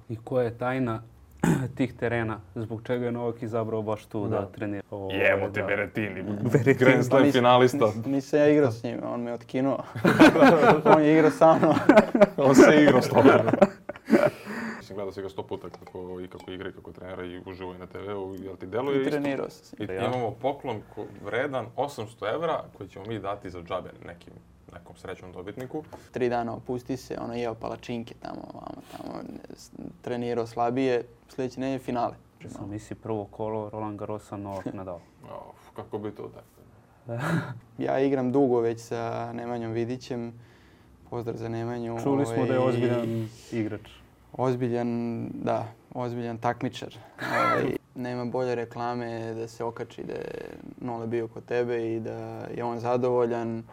I koja je tajna tih terena? Zbog čega je Novak izabrao baš tu da trenira? Jebo te Berettini, Grand Slam finalista. Nisam ja igrao s njim, on me otkinuo. On je igrao sa mnom. On se igrao s tobom. Gledao si ga 100 puta kako igra i kako trenira i uživo i na TV-u. Jel ti deluje isto? I trenirao sam. I imamo poklon vredan 800 evra koji ćemo mi dati za džabe nekom srećnom dobitniku. 3 dana opusti se, jeo palačinke tamo, trenirao slabije, sljedeće nedelje finale. Misli prvo kolo Roland Garrosa, Novak Nadal. Kako bi to da? Ja igram dugo već sa Nemanjom Vidićem. Pozdrav za Nemanju. Čuli smo da je ozbiljan igrač. Ozbiljan takmičar. Nema bolje reklame da se okači da je Nole bio kod tebe i da je on zadovoljan.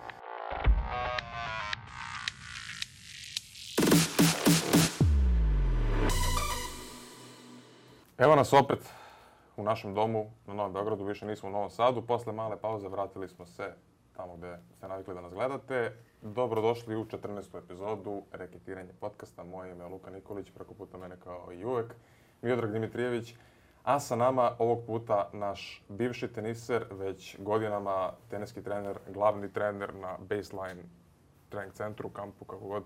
Evo nas opet u našem domu na Novom Beogradu, više nismo u Novom Sadu. Posle male pauze vratili smo se tamo gdje ste navikli da nas gledate. Dobrodošli u 14. epizodu Reketiranje podcasta. Moje ime je Luka Nikolić, preko puta mene kao i uvek Miodrag Dimitrijević. A sa nama ovog puta naš bivši teniser, već godinama teniski trener, glavni trener na Baseline trening centru, kampu, kako god,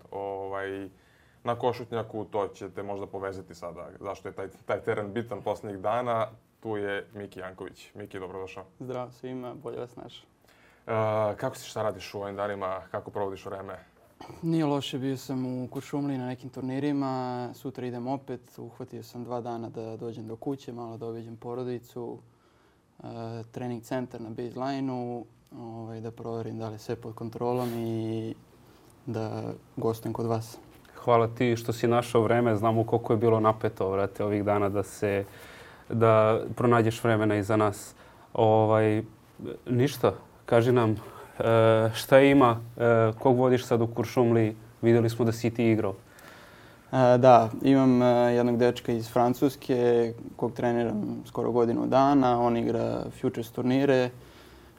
na Košutnjaku. To ćete možda povezati sada zašto je taj teren bitan posljednjih dana. Tu je Miki Janković. Miki, dobrodošao. Zdravo svima, bolje vas našao. Kako si, šta radiš u ovim danima? Kako provodiš vreme? Nije loše, bio sam u Kuršumliji na nekim turnirima. Sutra idem opet. Uhvatio sam 2 dana da dođem do kuće, malo da obiđem porodicu. Trening centar na baseline-u, da proverim da li je sve pod kontrolom i da gostujem kod vas. Hvala ti što si našao vreme. Znamo koliko je bilo napeto, vrate, ovih dana da pronađeš vremena i za nas. Ništa. Kaži nam šta ima, kog vodiš sad u Kuršumliji, vidjeli smo da si ti igrao. Da, imam jednog dečka iz Francuske kog treniram skoro godinu dana, on igra futures turnire,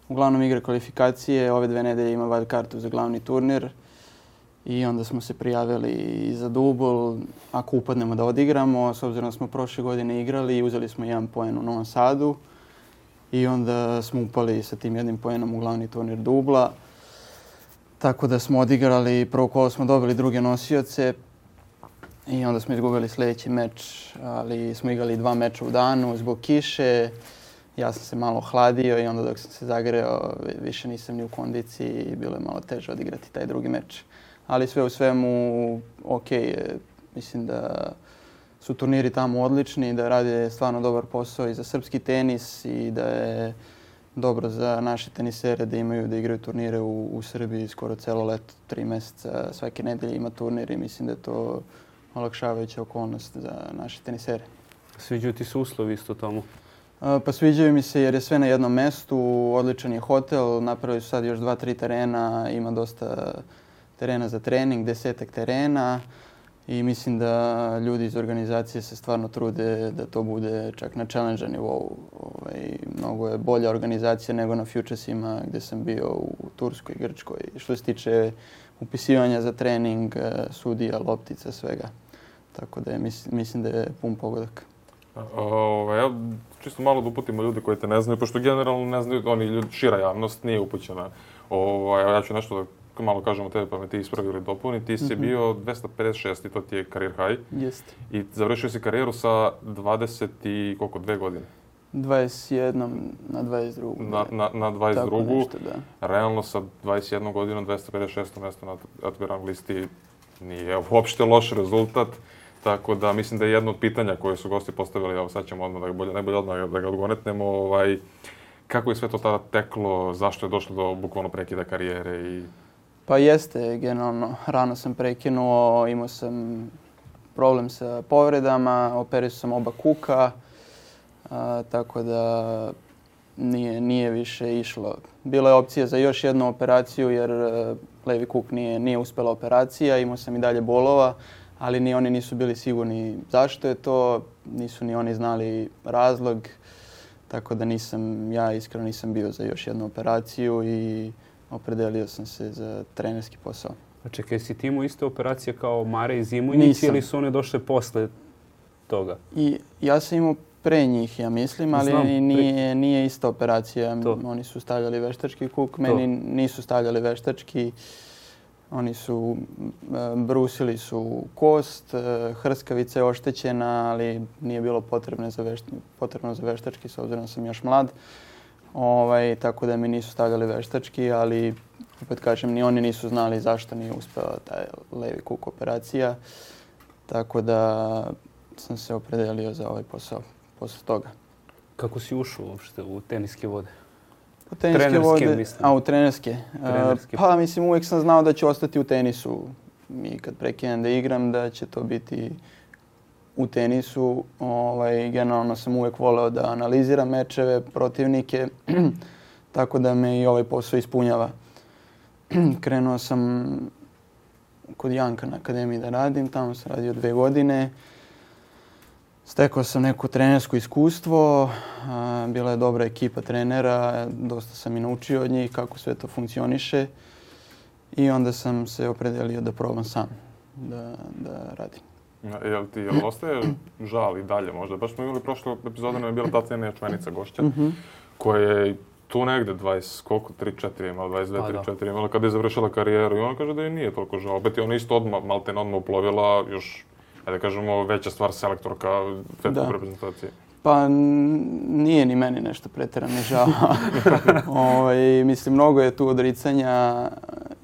uglavnom igra kvalifikacije, ove 2 nedelje ima wild kartu za glavni turnir i onda smo se prijavili za dubl, ako upadnemo da odigramo, s obzirom da smo prošle godine igrali i uzeli smo 1 poen u Novom Sadu. I onda smo upali sa tim 1 poenom u glavni turnir dubla. Tako da smo odigrali, prvo kolo smo dobili druge nosioce i onda smo izgubili sljedeći meč, ali smo igrali 2 meča u danu zbog kiše. Ja sam se malo ohladio i onda dok sam se zagreo više nisam ni u kondiciji i bilo je malo teže odigrati taj drugi meč. Ali sve u svemu ok, mislim da su turniri tamo odlični, da rade stvarno dobar posao i za srpski tenis i da je dobro za naše tenisere da igraju turnire u Srbiji skoro celo leto, 3 mjeseca, svake nedelje ima turnir i mislim da je to olakšavajuća okolnost za naše tenisere. Sviđaju ti se uslovi isto tamo? Pa sviđaju mi se jer je sve na jednom mjestu, odličan je hotel, napravili su sad još 2-3 terena, ima dosta terena za trening, 10 terena. I mislim da ljudi iz organizacije se stvarno trude da to bude čak na challenge nivou. Mnogo je bolja organizacija nego na futuresima gdje sam bio u Turskoj, Grčkoj. Što se tiče upisivanja za trening, sudija, loptica, svega. Tako da mislim da je pun pogodak. Ja čisto malo da uputimo ljudi koji te ne znaju, pošto generalno ne znaju, šira javnost nije upućena. Ja ću nešto da malo kažemo tebe pa me ti ispravi ili dopuni. Ti si bio 256 i to ti je career high. Jeste. I završio si karijeru sa 22 godine. 21 na 22. Na 22. Tako nešto, da. Realno sa 21 godinom 256. mjesto na ATP rang listi nije uopšte loš rezultat. Tako da mislim da je jedno od pitanja koje su gosti postavili, evo sad ćemo najbolje odmah da ga odgonetnemo. Kako je sve to tada teklo, zašto je došlo do bukvalno prekida karijere i... Pa jeste, generalno. Rano sam prekinuo, imao sam problem sa povredama, operisao sam oba kuka, tako da nije više išlo. Bila je opcija za još jednu operaciju jer levi kuk nije uspjela operacija, imao sam i dalje bolova, ali ni oni nisu bili sigurni zašto je to, nisu ni oni znali razlog, tako da ja iskreno nisam bio za još jednu operaciju i opredelio sam se za trenerski posao. A čekaj, si ti imao iste operacije kao Mare i Zimunjić Nisam. ili su one došle posle toga? I ja sam imao pre njih, ja mislim, ali Znam, nije ista operacija. To. Oni su stavljali veštački kuk, meni nisu stavljali veštački. Oni su, brusili su kost, hrskavica je oštećena, ali nije bilo potrebno za veštački, s obzirom da sam još mlad. Tako da mi nisu stavljali veštački, ali opet kažem, ni oni nisu znali zašto nije uspela taj levi kuk operacija. Tako da sam se opredelio za ovaj posao posle toga. Kako si ušao uopšte u teniske vode? U teniske trenerske, vode, mislim. u trenerske. Trenerske. Pa mislim, uvijek sam znao da ću ostati u tenisu. I kad prekinem da igram, da će to biti u tenisu. Generalno sam uvijek voleo da analiziram mečeve, protivnike, tako da me i ovaj posao ispunjava. Krenuo sam kod Janka na akademiji da radim, tamo sam radio 2 godine. Stekao sam neko trenersko iskustvo, bila je dobra ekipa trenera, dosta sam i naučio od njih kako sve to funkcioniše i onda sam se opredelio da probam sam da radim. Jel ostaje žal i dalje možda? Baš smo imali prošle epizode, nam je bila ta cenija članica gošća, koja je tu negde 20, koliko, 3-4 imala, 22-3-4 imala kada je završila karijeru i ona kaže da je nije toliko žal. Opet je ona isto odmah uplovila još, da kažemo, veća stvar selektorka svetske reprezentacije. Pa nije ni meni nešto pretjerano žao. Mislim, mnogo je tu odricanja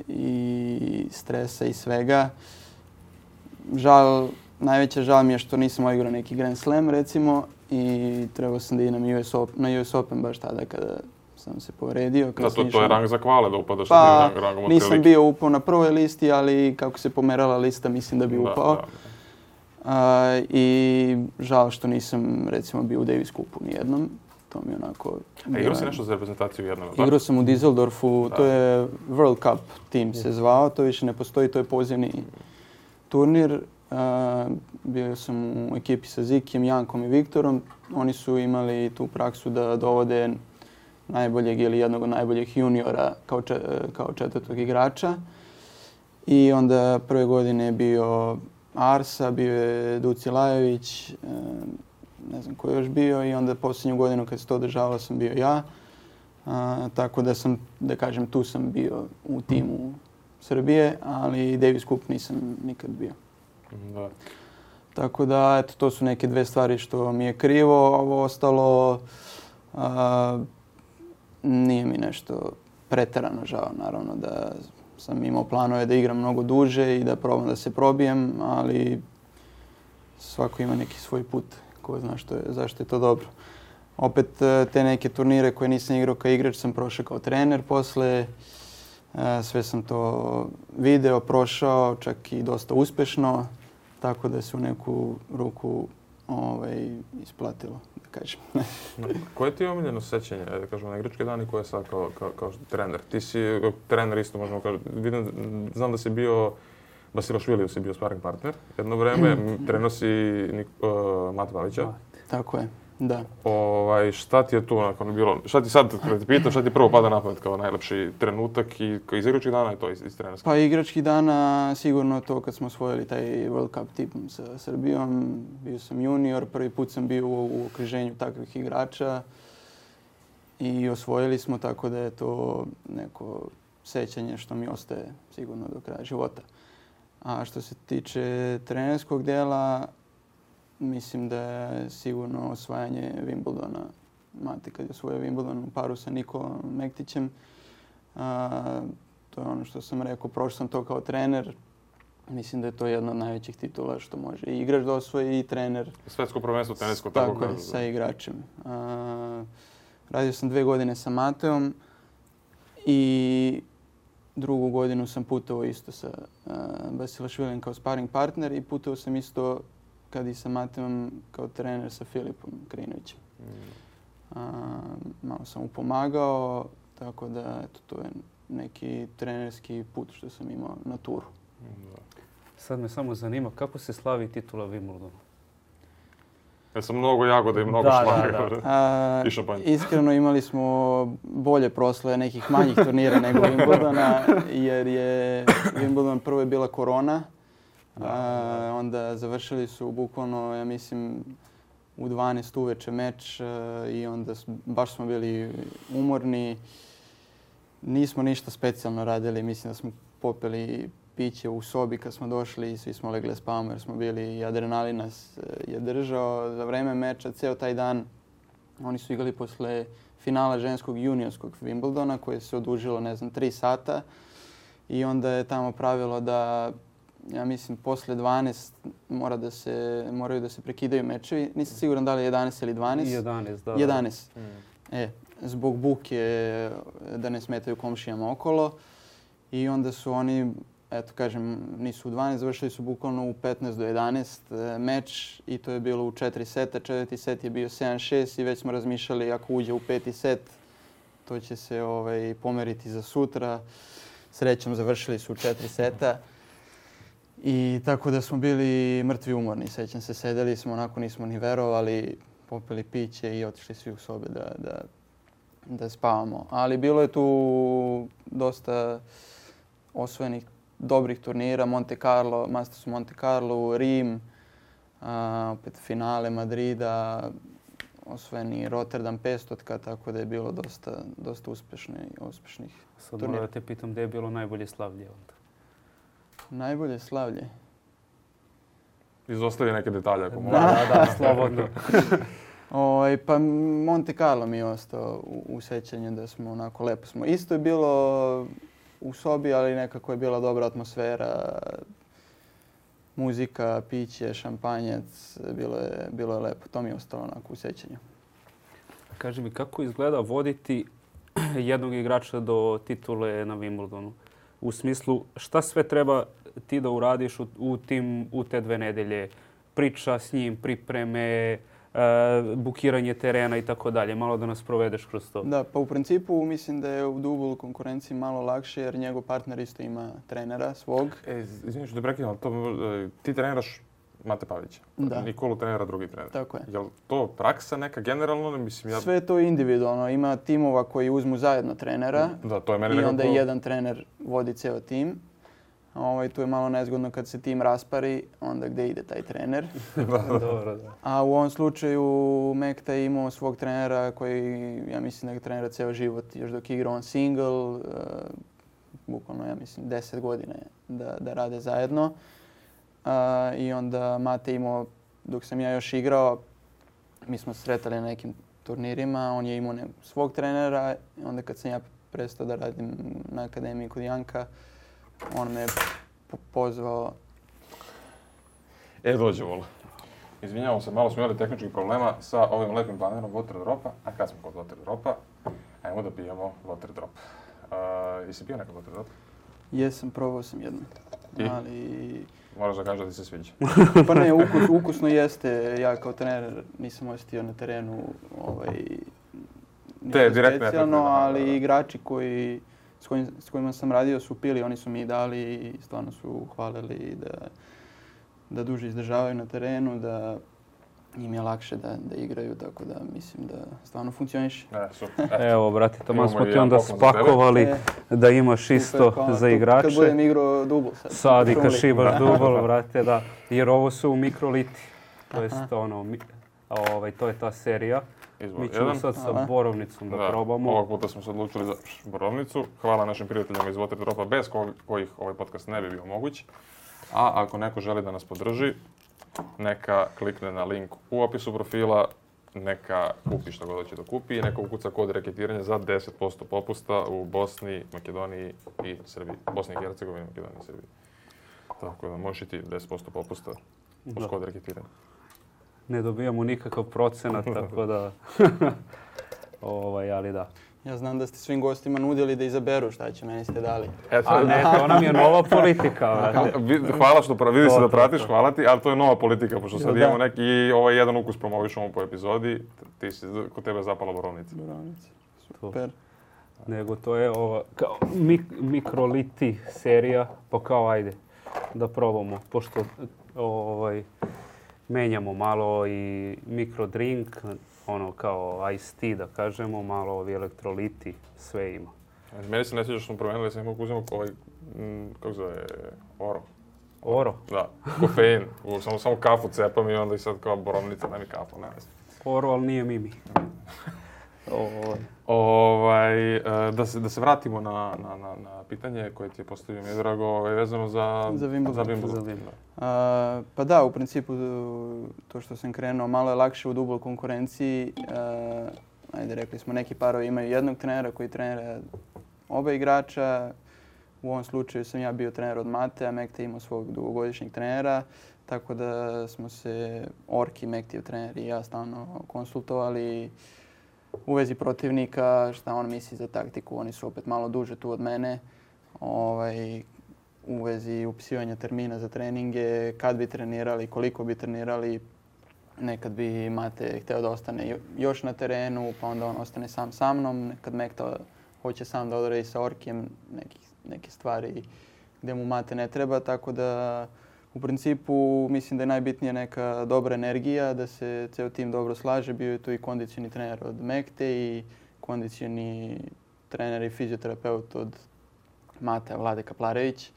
i stresa i svega. Najveća žal mi je što nisam odigrao neki Grand Slam, recimo, i trebao sam da idem na US Open baš tada kada sam se povredio. To je rang za kvale da upadaš pa, tim rangom. Nisam bio upao na prvoj listi, ali kako se pomerala lista, mislim da bi upao. I žao što nisam, recimo, bio u Davis Cupu nijednom. To mi je onako... A igrao si nešto za reprezentaciju jednom? Igrao sam u Düsseldorfu, to je World Cup team se zvao, to više ne postoji, to je pozivni turnir. Bio sam u ekipi sa Zikijem, Jankom i Viktorom. Oni su imali tu praksu da dovode najboljeg ili jednog od najboljih juniora kao četvrtog igrača. I onda prve godine je bio Arsa, bio je Duci Lajović, ne znam ko je još bio, i onda posljednju godinu kad se to održavalo sam bio ja. Tako da sam, da kažem, tu sam bio u timu Srbije, ali Davis Cup nisam nikad bio. Da. Tako da, eto, to su neke 2 stvari što mi je krivo. Ovo ostalo nije mi nešto pretjerano žao. Naravno da sam imao planove da igram mnogo duže i da probam da se probijem, ali svako ima neki svoj put. Ko zna zašto je to dobro. Opet te neke turnire koje nisam igrao kao igrač sam prošao kao trener posle. Sve sam to video, prošao, čak i dosta uspješno, tako da se u neku ruku isplatilo, da kažem. Koje ti je omiljeno sećanje, da kažemo, na igračke dani koje je sad kao trener? Ti si trener isto, možemo kažem. Znam da si bio, Basilašviliju si bio sparring partner jedno vreme, trenuo si Mate Pavića. Tako je, da. Šta ti je tu nakon bilo, šta ti sad, kada ti pitam, šta ti prvo pada na pamet kao najlepši trenutak i iz igračkih dana je to iz trenerskih? Pa igračkih dana sigurno to kad smo osvojili taj World Cup tim sa Srbijom. Bio sam junior, prvi put sam bio u okruženju takvih igrača i osvojili smo, tako da je to neko sećanje što mi ostaje sigurno do kraja života. A što se tiče trenerskog dela, mislim da je sigurno osvajanje Wimbledona. Mate kad je osvojio Wimbledon u paru sa Nikolom Mektićem. To je ono što sam rekao, prošao sam to kao trener. Mislim da je to jedna od najvećih titula što može i igrač da osvoji i trener. Svetsko prvenstvo tenisko. Tako je, sa igračem. Radio sam 2 godine sa Mateom i 2. godinu sam putovao isto sa Basilašvilijem kao sparring partner i putovao sam isto kad i sa Mateom kao trener sa Filipom Krinovićem. Malo sam mu pomagao, tako da eto, to je neki trenerski put što sam imao na turu. Sad me samo zanima kako se slavi titula Wimbledona? Sa mnogo jagode i mnogo šlaga. I šampanj. Iskreno imali smo bolje proslave nekih manjih turnira nego Wimbledona, jer je Wimbledon prvo je bila korona, onda završili su bukvalno, ja mislim, u 12 uveče meč i onda baš smo bili umorni. Nismo ništa specijalno radili, mislim da smo popili piće u sobi kad smo došli i svi smo legli spavamo jer smo bili i adrenalin nas je držao za vreme meča ceo taj dan. Oni su igrali posle finala ženskog juniorskog Wimbledona koje se odužilo 3 sata i onda je tamo pravilo da ja mislim posle 12 moraju da se prekidaju mečevi. Nisam siguran da li je 11 ili 12. 11, da. 11. Zbog buke da ne smetaju komšijama okolo. I onda su oni, eto kažem, nisu u 12, završili su bukvalno u 15 do 11 meč i to je bilo u 4 seta. 4. set je bio 7-6 i već smo razmišljali ako uđe u 5. set, to će se pomeriti za sutra. Srećom završili su u 4 seta. I tako da smo bili mrtvi umorni. Sećam se, sedeli smo, onako nismo ni verovali, popili piće i otišli svi u sobe da spavamo. Ali bilo je tu dosta osvojenih dobrih turnira, Monte Carlo, Masters u Monte Carlo, Rim, opet finale Madrida, osvojeni Rotterdam 500, tako da je bilo dosta uspešnih Sad turnira. moram da te pitam gdje je bilo najbolje slavlje onda? Najbolje slavlje? Izostavi neke detalje ako možeš. Da, slobodno. Pa Monte Carlo mi je ostao u sećanju da smo onako lepo smo. Isto je bilo u sobi, ali nekako je bila dobra atmosfera, muzika, piće, šampanjac, bilo je lepo. To mi je ostalo onako u sećanju. Kaži mi, kako izgleda voditi jednog igrača do titule na Wimbledonu? U smislu, šta sve treba ti da uradiš u te 2 nedelje? Priča s njim, pripreme, bukiranje terena i tako dalje. Malo da nas provedeš kroz to. Da, pa u principu mislim da je u dublu konkurenciji malo lakše jer njegov partner isto ima trenera svog. Izvini što te prekidam, ti treniraš Mate Pavića. Da. Nikolu trenira drugi trener. Tako je. Je li to praksa neka generalno? Mislim, Sve je to individualno. Ima timova koji uzmu zajedno trenera. Da, to je meni i nekako... onda jedan trener vodi ceo tim. Tu je malo nezgodno kad se tim raspari, onda gdje ide taj trener. Dobro, da. A u ovom slučaju Mekta je imao svog trenera koji, ja mislim da ga trenira ceo život, još dok je igrao on single, bukvalno, ja mislim, 10 godina da rade zajedno. I onda Mate imao, dok sam ja još igrao, mi smo se sretali na nekim turnirima, on je imao svog trenera, onda kad sam ja prestao da radim na akademiji kod Janka, on me pozvao. Dođe, Vola. Izvinjavam se, malo smo imali tehničkih problema sa ovim lepim banerom Water Dropa. A kad smo kod Water Dropa, ajmo da pijemo Water Drop. Jesi pio nekad Water Drop? Jesam, probao sam jedno. Ali... Moraš da kažeš da ti se sviđa. Pa ne, ukusno jeste. Ja kao trener nisam osjetio na terenu ništa specijalno, ali igrači s kojima sam radio su pili, oni su mi dali i stvarno su hvalili da duže izdržavaju na terenu, da im je lakše da igraju, tako da mislim da stvarno funkcioniše. Evo, brate, tamo smo ti onda spakovali da imaš isto za igrače. Kad budem igrao dubl sad. Sad i kad šibaš dubl, brate, da. Jer ovo su mikroliti. To jest to je ta serija. Mi ćemo sad sa borovnicom da probamo. Ovog puta smo se odlučili za borovnicu. Hvala našim prijateljima iz Water Dropa, bez kojih ovaj podcast ne bi bio moguć. A ako neko želi da nas podrži, neka klikne na link u opisu profila, neka kupi što god hoće da kupi i neka ukuca kod reketiranja za 10% popusta u Bosni, Makedoniji i Srbiji. Bosni i Hercegovini, Makedoniji i Srbiji. Tako da možeš i ti 10% popusta uz kod reketiranja. Ne dobijamo nikakav procenat, tako da... ali da. Ja znam da ste svim gostima nudili da izaberu šta će, meni ste dali. A ne, to nam je nova politika. Hvala što vidi se da pratiš, hvala ti, ali to je nova politika, pošto sad imamo neki i ovaj jedan ukus promovišemo po epizodi, kod tebe je zapala borovnica. Borovnica, super. Nego to je ova kao mikroliti serija, pa kao ajde da probamo, pošto menjamo malo i mikrodrink, ono kao iced tea da kažemo, malo ovi elektroliti, sve ima. Meni se ne sviđa što smo promijenili, sam mogu uzimati ovaj, kako zove, oro. Oro? Da, kofein. Samo kafu cepam i onda i sad kao borovnica, daj mi kafu, ne znam. Oro, ali nije Mimi. Da se vratimo na pitanje koje ti je postavio Miodrago vezano za Wimbledon. Pa da, u principu to što sam krenuo malo je lakše u dubloj konkurenciji. Ajde, rekli smo neki parovi imaju jednog trenera koji trenira oba igrača. U ovom slučaju sam ja bio trener od Mate, a Mekta imao svog dugogodišnjeg trenera. Tako da smo se Orki, Mektijev trener i ja stalno konsultovali u vezi protivnika, šta on misli za taktiku. Oni su opet malo duže tu od mene. U vezi upisivanja termina za treninge, kad bi trenirali, koliko bi trenirali. Nekad bi Mate hteo da ostane još na terenu, pa onda on ostane sam sa mnom. Nekad Mekta hoće sam da odradi sa Orkijem neke stvari gdje mu Mate ne treba, tako da u principu mislim da je najbitnija neka dobra energija, da se ceo tim dobro slaže. Bio je tu i kondicioni trener od Mekte i kondicioni trener i fizioterapeut od Mate, Vlade Kaplarević.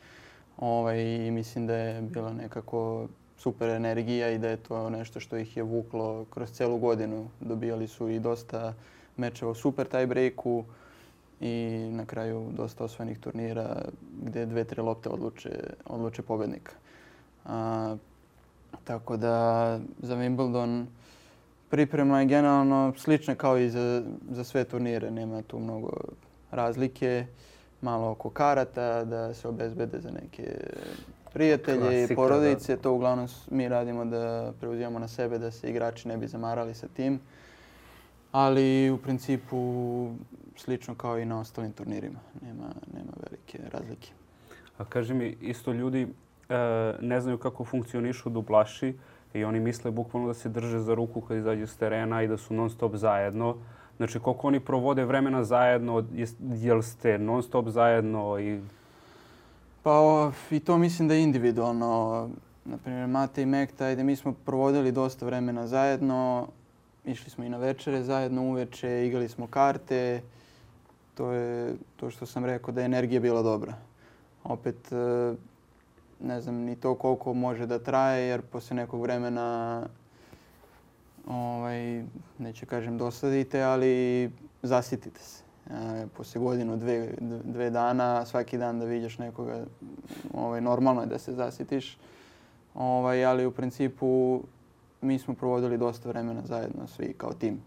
I mislim da je bila nekako super energija i da je to nešto što ih je vuklo kroz celu godinu. Dobijali su i dosta mečeva u super tie-breaku i na kraju dosta osvojenih turnira gdje 2-3 lopte odluče pobednika. Tako da za Wimbledon priprema je generalno slična kao i za sve turnire. Nema tu mnogo razlike. Malo oko karata da se obezbede za neke prijatelje i porodice. To uglavnom mi radimo da preuzimamo na sebe da se igrači ne bi zamarali sa tim. Ali u principu slično kao i na ostalim turnirima. Nema velike razlike. A kaži mi, isto ljudi ne znaju kako funkcionišu dublaši i oni misle bukvalno da se drže za ruku kad izađu s terena i da su non stop zajedno. Znači, koliko oni provode vremena zajedno, jel ste non stop zajedno? Pa i to mislim da je individualno. Naprimjer, Mate i Mekta, mi smo provodili dosta vremena zajedno. Išli smo i na večere zajedno uveče, igrali smo karte. To je to što sam rekao da je energija bila dobra. Opet, ne znam ni to koliko može da traje jer poslije nekog vremena neću kažem dosadite, ali zasitite se. Poslije godinu, dve dana, svaki dan da vidiš nekoga, normalno je da se zasitiš. Ali u principu mi smo provodili dosta vremena zajedno svi kao tim.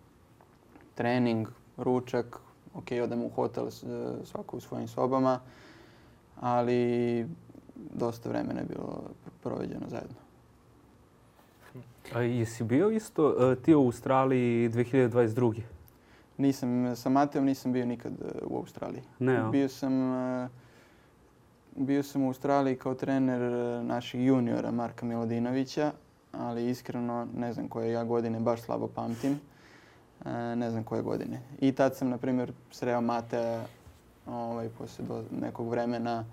Trening, ručak, odemo u hotel svako u svojim sobama, ali dosta vremena je bilo proveđeno zajedno. A jesi bio isto ti u Australiji 2022? Nisam, sa Mateom nisam bio nikad u Australiji. Ne, Bio sam u Australiji kao trener naših juniora Marka Milodinovića, ali iskreno ne znam koje ja godine, baš slabo pamtim. Ne znam koje godine. I tad sam, na primjer, sreo Matea poslije nekog vremena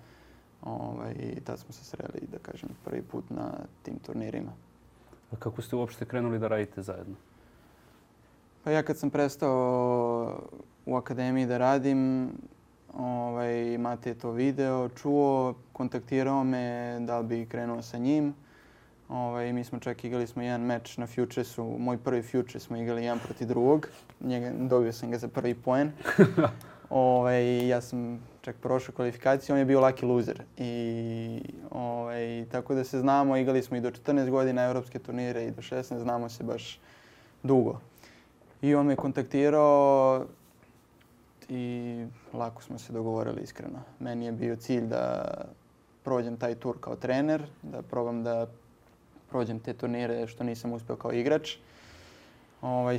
i tad smo se sreli, da kažem, prvi put na tim turnirima. A kako ste uopšte krenuli da radite zajedno? Pa ja kad sam prestao u akademiji da radim, Mate je to video, čuo, kontaktirao me da li bi krenuo sa njim. Mi smo čak igrali jedan meč na Futuresu, moj prvi Futures smo igrali 1 protiv drugog. Dobio sam ga za prvi poen. Ja sam čak prošao kvalifikaciju, on je bio lucky loser. Tako da se znamo, igrali smo i do 14 godina europske turnire i do 16, znamo se baš dugo. I on me kontaktirao i lako smo se dogovorili iskreno. Meni je bio cilj da prođem taj tur kao trener, da probam da prođem te turnire što nisam uspio kao igrač.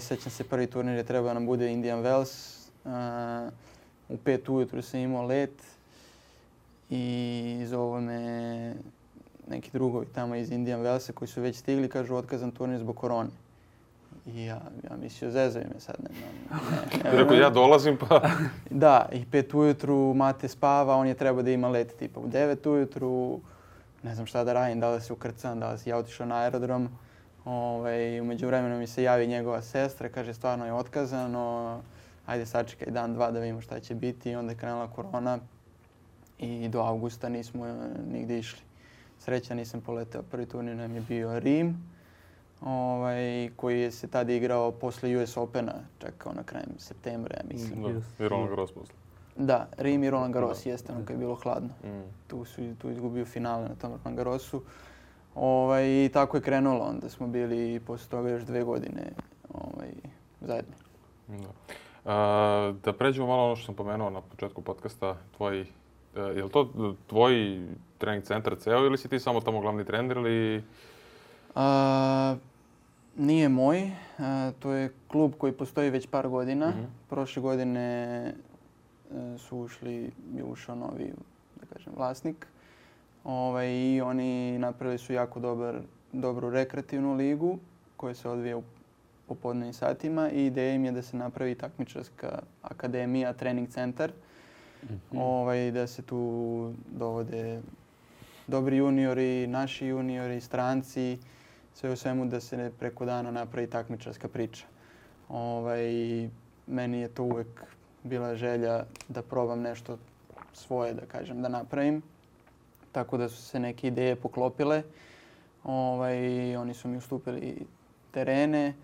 Sećam se, prvi turnir je trebao nam bude Indian Wells. U 5 ujutru sam imao let i zovu me neki drugovi tamo iz Indian Wellsa koji su već stigli, kažu otkazan turnir zbog korone. I ja mislio, zezaju me sad. Rekao, ja dolazim pa... Da, i 5 ujutru Mate spava, on je trebao da ima let tipa u 9 ujutru. Ne znam šta da radim, da li se ukrcam, da li si ja otišao na aerodrom. U međuvremenu mi se javi njegova sestra, kaže stvarno je otkazano, ajde sačekaj dan, dva da vidimo šta će biti. I onda je krenula korona i do avgusta nismo nigdje išli. Sreća nisam poleteo. Prvi turnir nam je bio Rim, koji je se tada igrao posle US Opena, čak na krajem septembra, ja mislim. I Roland Garros posle. Da, Rim i Roland Garros, jeste ono kad je bilo hladno. Tu izgubio finale na tom Roland Garrosu. I tako je krenulo, onda smo bili posle toga još 2 godine zajedno. Da pređemo malo ono što sam pomenuo na početku podcasta, je li to tvoj trening centar ceo ili si ti samo tamo glavni trener ili? Nije moj, to je klub koji postoji već par godina. Prošle godine je ušao novi, da kažem, vlasnik. I oni napravili su jako dobru rekreativnu ligu koja se odvija u popodnevnim satima i ideja im je da se napravi takmičarska akademija, trening centar. Da se tu dovode dobri juniori, naši juniori, stranci, sve u svemu da se preko dana napravi takmičarska priča. Meni je to uvek bila želja da probam nešto svoje, da kažem, da napravim. Tako da su se neke ideje poklopile. Oni su mi ustupili terene,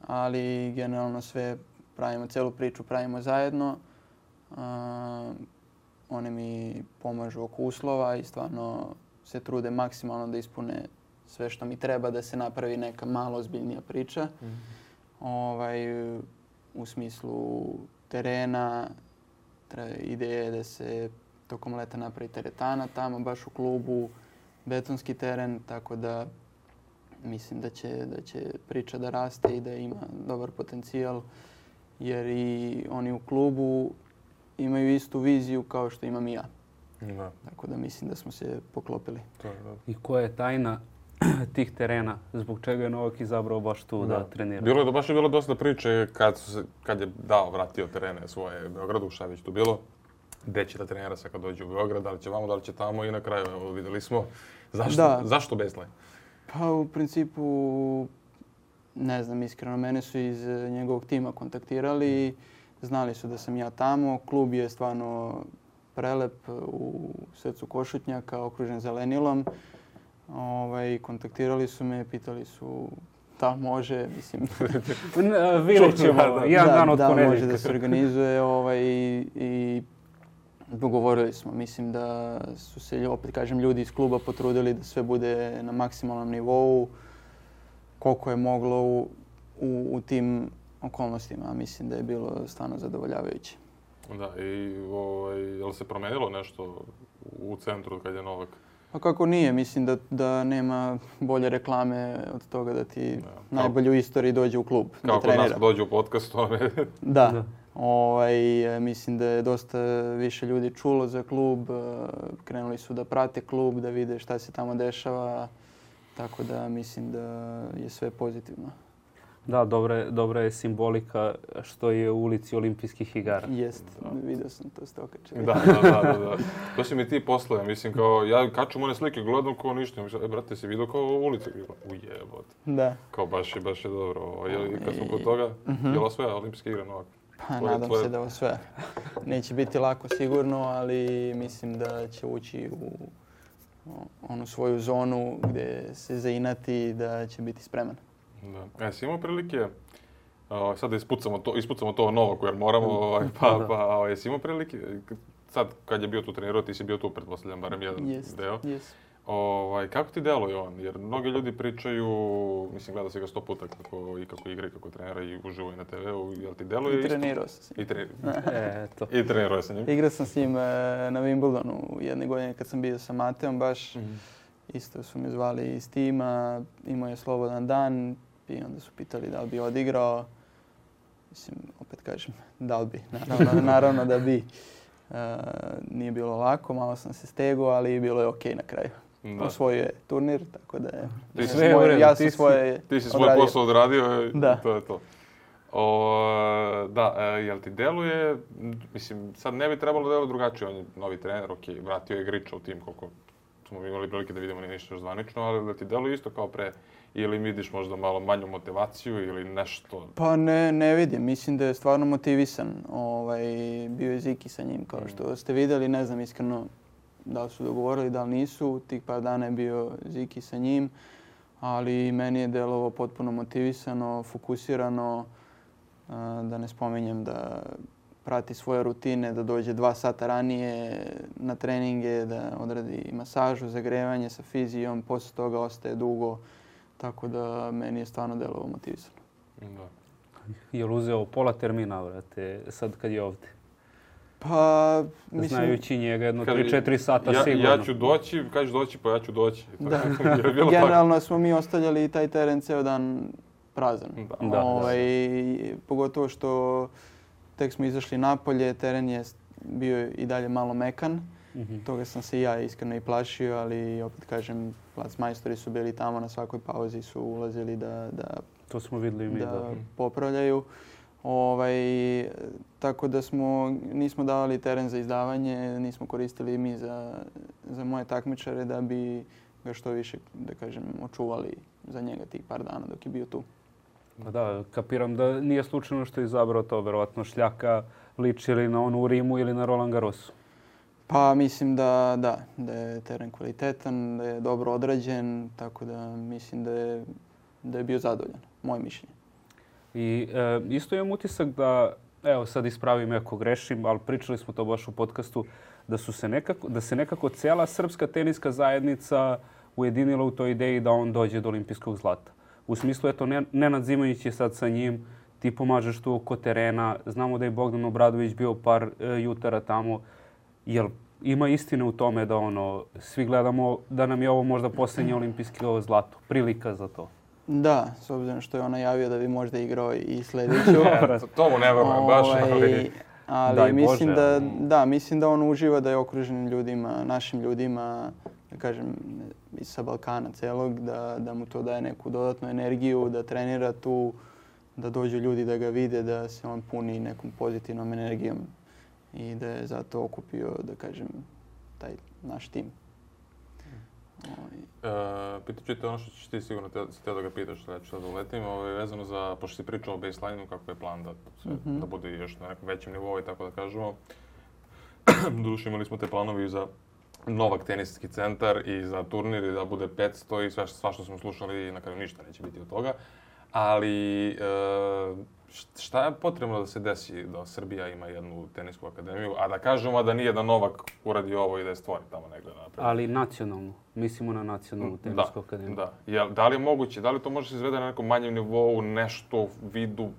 ali generalno sve pravimo, celu priču pravimo zajedno. Oni mi pomažu oko uslova i stvarno se trude maksimalno da ispune sve što mi treba da se napravi neka malo ozbiljnija priča. U smislu terena, ideja je da se tokom leta napravi teretana tamo baš u klubu, betonski teren, tako da mislim da će priča da raste i da ima dobar potencijal, jer i oni u klubu imaju istu viziju kao što imam i ja. Da. Tako da mislim da smo se poklopili. I koja je tajna tih terena? Zbog čega je Novak izabrao baš tu da trenira? Baš je bilo dosta priče kad je vratio terene svoje Beogradu, šta je već tu bilo. Gde će da trenira sad kad dođe u Beograd, da li će vamo, da li će tamo i na kraju evo, vidjeli smo. Zašto Beslaj? Pa u principu, ne znam, iskreno, mene su iz njegovog tima kontaktirali, znali su da sam ja tamo. Klub je stvarno prelep u srcu Košutnjaka, okružen zelenilom. Kontaktirali su me, pitali su da može, mislim. Vidjet ćemo, jedan dan od ponedjeljka. Da, može da se organizuje i dogovorili smo. Mislim da su se, opet kažem, ljudi iz kluba potrudili da sve bude na maksimalnom nivou, koliko je moglo u tim okolnostima. Mislim da je bilo stvarno zadovoljavajuće. Da, i je li se promenilo nešto u centru kad je Novak? Pa kako nije, mislim da nema bolje reklame od toga da ti najbolji u istoriji dođe u klub da trenira. Kao kod nas dođe u podcast, Da. Mislim da je dosta više ljudi čulo za klub, krenuli su da prate klub, da vide šta se tamo dešava, tako da mislim da je sve pozitivno. Da, dobra je simbolika što je u ulici Olimpijskih igara. Jest, vidio sam to ste okačili. Da. To si mi ti poslao, mislim kao, ja kačem one slike, gledam kao ništa, mislim, brate, si vidio kao ulicu? Ujebot. Da. Kao baš je dobro. Kad smo kod toga, je li osvaja Olimpijske igre Novak? Pa nadam se da osvaja. Neće biti lako sigurno, ali mislim da će ući u onu svoju zonu gdje se zainati da će biti spreman. Da. Jesi imao prilike, sad da ispucamo to Novaku jer moramo, jesi imao prilike, sad kad je bio tu trenirao, ti si bio tu, pretpostavljam, barem jedan deo. Kako ti deluje on? Jer mnogi ljudi pričaju, mislim, gleda se ga 100 puta kako igra i kako trenira i uživo i na TV-u, jel ti deluje isto? I trenirao sam s njim. I trenirao sam njim. Igrao sam s njim na Wimbledonu jedne godine kad sam bio sa Mateom baš. Isto su me zvali iz tima, imao je slobodan dan i onda su pitali da li bi odigrao. Mislim, opet kažem, da li bi, naravno da bi. Nije bilo lako, malo sam se stegao, ali bilo je okej na kraju. Osvojio je turnir, tako da je... Ti si svoj posao odradio i to je to. Jel ti deluje, mislim, sad ne bi trebalo deluje drugačije, on je novi trener, vratio je Griča u tim koliko smo imali prilike da vidimo, nije ništa zvanično, ali da ti deluje isto kao pre ili vidiš možda malo manju motivaciju ili nešto? Pa ne vidim. Mislim da je stvarno motivisan. Bio je Ziki sa njim, kao što ste vidjeli. Ne znam iskreno da li su dogovorili, da li nisu. Tih par dana je bio Ziki sa njim. Ali meni je delovo potpuno motivisano, fokusirano. Da ne spominjem da prati svoje rutine, da dođe 2 sata ranije na treninge, da odradi masažu, zagrevanje sa fizijom, poslije toga ostaje dugo. Tako da meni je stvarno delovo motivisano. Da. Je li uzeo pola termina, vrate, sad kad je ovdje? Pa, mislim... Znajući njega jedno 3-4 sata sigurno. Ja ću doći, kažeš doći, pa ja ću doći. Da. Generalno smo mi ostavljali taj teren ceo dan prazan. Pogotovo što tek smo izašli napolje, teren je bio i dalje malo mekan. Toga sam se i ja iskreno i plašio, ali opet kažem, plac majstori su bili tamo na svakoj pauzi, su ulazili da to smo vidjeli i mi, da popravljaju. Tako da nismo davali teren za izdavanje, nismo koristili mi za moje takmičare da bi ga što više, da kažem, očuvali za njega tih par dana dok je bio tu. Pa da, kapiram da nije slučajno što je izabrao to, verovatno šljaka liči ili na onu u Rimu ili na Roland Garrosu. Pa mislim da je teren kvalitetan, da je dobro odrađen, tako da mislim da je bio zadovoljan, moje mišljenje. I isto imam utisak da, evo sad ispravim ako grešim, ali pričali smo to baš u podcastu, da se nekako cijela srpska teniska zajednica ujedinila u toj ideji da on dođe do olimpijskog zlata. U smislu, eto, Nenad Zimonjić je sad sa njim, ti pomažeš tu oko terena, znamo da je Bogdan Obradović bio par jutara tamo. Jel ima istine u tome da svi gledamo da nam je ovo možda posljednje olimpijsko zlato, prilika za to? Da, s obzirom što je on najavio da bi možda igrao i sljedeću. To mu ne verujem baš. Ali mislim da on uživa da je okružen ljudima, našim ljudima, da kažem, sa Balkana celog, da mu to daje neku dodatnu energiju, da trenira tu, da dođu ljudi da ga vide, da se on puni nekom pozitivnom energijom i da je zato okupio, da kažem, taj naš tim. Pitat ću te ono što ćeš ti sigurno da ga pitaš, ja ću sad uletim, vezano za, pošto si pričao o baseline-u, kako je plan da bude još na nekom većem nivou i tako da kažemo. Doduše imali smo te planovi za Novak teniski centar i za turnir i da bude 500 i sva što smo slušali, na kraju ništa neće biti od toga. Ali šta je potrebno da se desi da Srbija ima jednu tenisku akademiju, a da kažemo da nije da Novak uradi ovo i da je stvori tamo negdje naprijed? Ali nacionalnu, mislimo na nacionalnu tenisku akademiju. Da. Da li je moguće, da li to može se izvede na nekom manjem nivou, nešto u vidu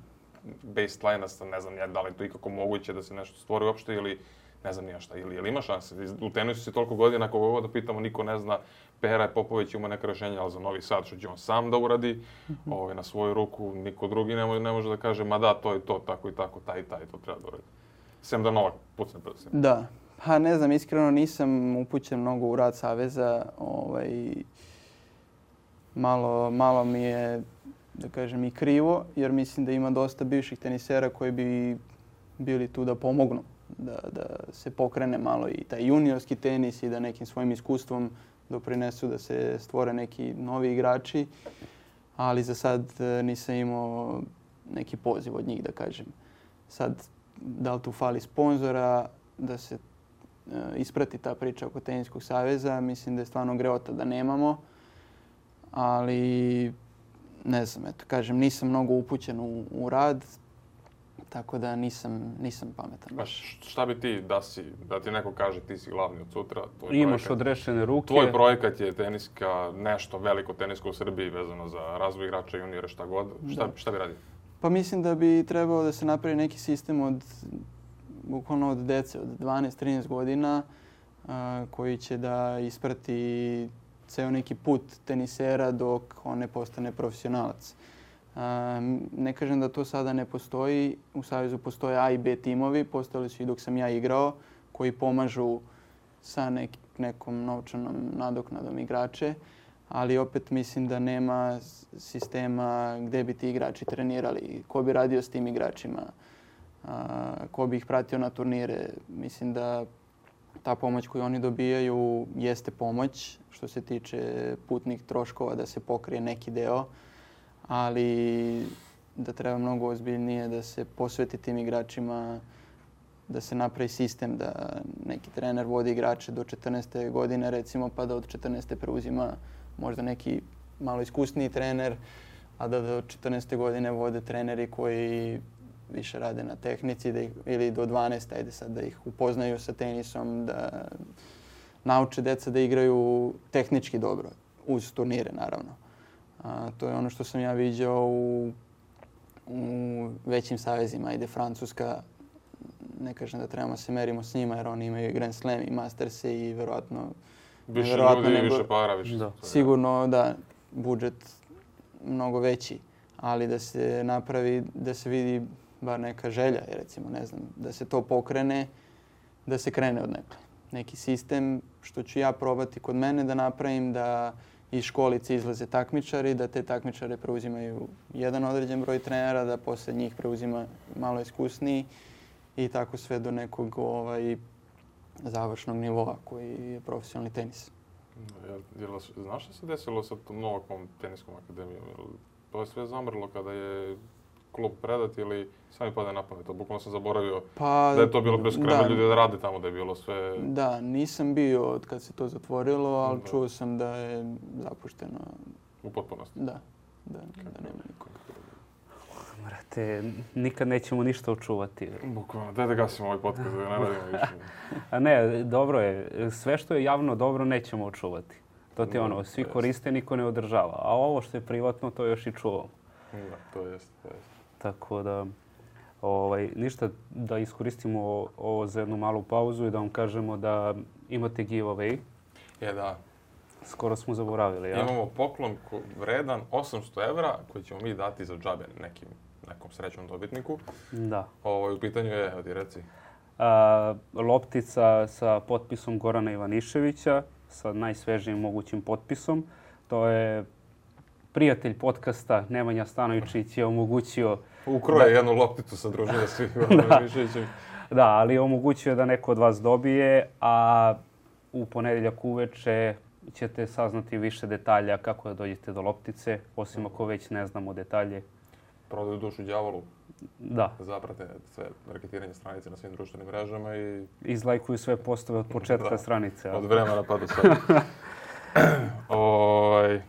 baseline-a, ne znam da li je to ikako moguće da se nešto stvori uopšte ili ne znam nija šta, ili ima šanse. U tenisu si toliko godina, kako god da pitamo, niko ne zna. Pera Popović ima neka rješenja, ali za Novi Sad što će on sam da uradi, na svoju ruku, niko drugi ne može da kaže, ma da, to je to, tako i tako, taj i taj, to treba da uradi. Sem da Novak pucne pred svima. Da, pa ne znam, iskreno nisam upućen mnogo u rad saveza. Malo mi je, da kažem, i krivo, jer mislim da ima dosta bivših tenisera koji bi bili tu da pomognu. Da se pokrene malo i taj juniorski tenis i da nekim svojim iskustvom doprinesu da se stvore neki novi igrači. Ali za sad nisam imao neki poziv od njih, da kažem. Sad, da li tu fali sponzora, da se isprati ta priča oko Teniskog saveza, mislim da je stvarno greota da nemamo. Ali, ne znam, eto, kažem, nisam mnogo upućen u rad. Tako da nisam pametan. Baš. Šta bi ti da ti neko kaže ti si glavni od sutra? Imaš odrešene ruke. Tvoj projekat je teniska, nešto veliko tenisko u Srbiji vezano za razvoj igrača, juniora, šta god. Šta bi radio? Pa mislim da bi trebao da se napravi neki sistem bukvalno od dece, od 12-13 godina koji će da isprati ceo neki put tenisera dok on ne postane profesionalac. Ne kažem da to sada ne postoji. U Savezu postoje A i B timovi, postojali su i dok sam ja igrao, koji pomažu sa nekom novčanom nadoknadom igrače, ali opet mislim da nema sistema gdje bi ti igrači trenirali, ko bi radio s tim igračima, ko bi ih pratio na turnire. Mislim da ta pomoć koju oni dobijaju jeste pomoć što se tiče putnih troškova da se pokrije neki deo, ali da treba mnogo ozbiljnije da se posveti tim igračima, da se napravi sistem da neki trener vodi igrače do 14. godine recimo, pa da od 14. preuzima možda neki malo iskusniji trener, a da do 14. godine vode treneri koji više rade na tehnici ili do 12. ajde sad da ih upoznaju sa tenisom, da nauče deca da igraju tehnički dobro, uz turnire naravno. To je ono što sam ja viđao u većim savezima. Ajde Francuska, ne kažem da trebamo se merimo s njima jer oni imaju Grand Slam i Masterse i verovatno Više ljudi, više para, više. Da. Sigurno da budžet mnogo veći, ali da se napravi, da se vidi bar neka želja, recimo, ne znam, da se to pokrene, da se krene od nekle. Neki sistem što ću ja probati kod mene da napravim, da iz školice izlaze takmičari, da te takmičare preuzimaju jedan određen broj trenera, da posle njih preuzima malo iskusniji i tako sve do nekog završnog nivoa koji je profesionalni tenis. Znaš što se desilo sa tom Novakom teniskom akademijom? To je sve zamrlo kada je klub predat ili sami pada na pamet? Bukvalno sam zaboravio da je to bilo beskrajno ljudi da rade tamo, da je bilo sve... Da, nisam bio od kad se to zatvorilo, ali čuo sam da je zapušteno. U potpunosti? Da nema nikoga. Brate, nikad nećemo ništa očuvati. Bukvalno, daj da gasimo ovaj podcast, da ne radimo više. A ne, dobro je. Sve što je javno dobro nećemo očuvati. To ti je svi koriste, niko ne održava. A ovo što je privatno, to još i čuvamo. Da, to jest. Tako da, ništa, da iskoristimo ovo za jednu malu pauzu i da vam kažemo da imate giveaway. Da. Skoro smo zaboravili, ja? Imamo poklon vredan 800 evra koji ćemo mi dati za džabe nekom srećnom dobitniku. Da. U pitanju je, evo ti reci. Loptica sa potpisom Gorana Ivaniševića, sa najsvežijim mogućim potpisom. To je prijatelj podcasta Nemanja Stanovičić je omogućio... Ukroje jednu lopticu sa družine svih Goranom Ivaniševićem. Da, ali omogućio da neko od vas dobije, a u ponedjeljak uveče ćete saznati više detalja kako da dođete do loptice, osim ako već ne znamo detalje. Prodaju dušu đavolu. Da. Zaprate sve reketiranje stranice na svim društvenim mrežama i... Izlajkuju sve postove od početka stranice. Od vremena pa do sada.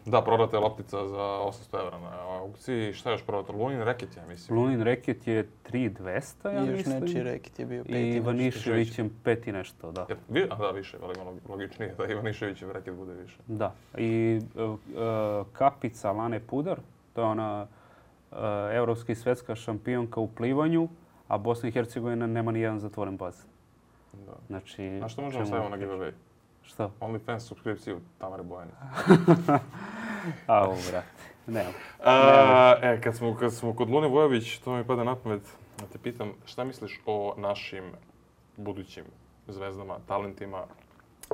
Da, prodata je loptica za 800 evra na aukciji. Šta je još prodata? Lunin reket, ja mislim. Lunin reket je 3200, ja mislim. I još nečiji reket je bio 5 i Ivaniševićem 5 i nešto, da. Da, više, ali ima logičnije da Ivaniševićev reket bude više. Da. I kapica Lane Pudar, to je ona evropska i svetska šampionka u plivanju, a Bosna i Hercegovina nema ni jedan zatvoren bazen. Da. Znači, a što možemo staviti na giveaway? Šta? OnlyFans subskripciju Tamare Bojanić. Brate, nema. Kad smo kod Lune Vojović, to mi pada na pamet da te pitam šta misliš o našim budućim zvezdama, talentima,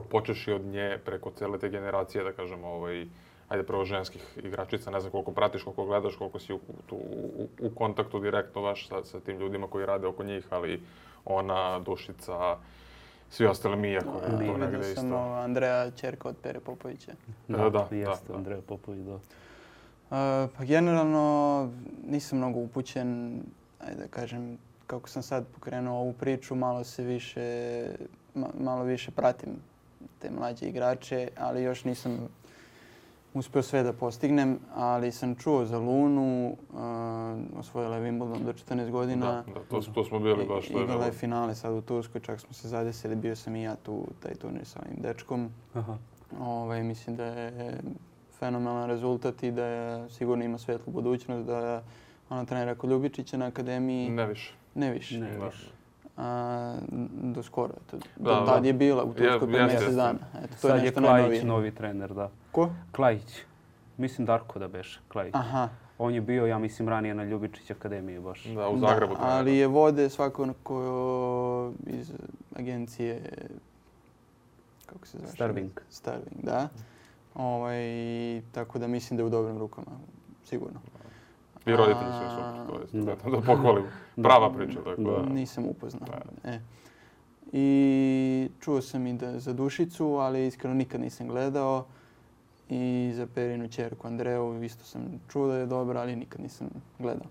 počeši od nje preko cijele te generacije, da kažemo, ajde prvo ženskih igračica, ne znam koliko pratiš, koliko gledaš, koliko si u kontaktu direktno baš sa tim ljudima koji rade oko njih, ali ona, Dušica, svi ostali Mija koji je to negdje isto. Sam Andreja, ćerka od Pere Popovića. Da, jeste Andreja Popović, da. Pa generalno nisam mnogo upućen, ajde da kažem, kako sam sad pokrenuo ovu priču, malo više pratim te mlađe igrače, ali još nisam uspio sve da postignem, ali sam čuo za Lunu, osvojila je Wimbledon do 14 godina. Da, to smo bili baš. Igrala je finale sad u Turskoj, čak smo se zadesili, bio sam i ja tu taj turnir sa ovim dečkom. Mislim da je fenomenalan rezultat i da sigurno ima svetlu budućnost, da ona trenira kod Ljubičića na akademiji. Ne više. Do skoro. Tad je bila u Turskoj pre mjesec dana. Sad je Klajić novi trener, da. Ko? Klajić. Mislim Darko da beše, Klajić. Aha. On je bio, ja mislim, ranije na Ljubičić akademiji baš. Da, u Zagrebu. Ali je vode svakako iz agencije, kako se zove? Starving, da. Tako da mislim da je u dobrim rukama, sigurno. I roditelji su super, to je da pohvalim. Prava priča. Nisam upoznao. I čuo sam i za Dušicu, ali iskreno nikad nisam gledao. I za Perinu ćerku Andreju isto sam čuo da je dobra, ali nikad nisam gledao.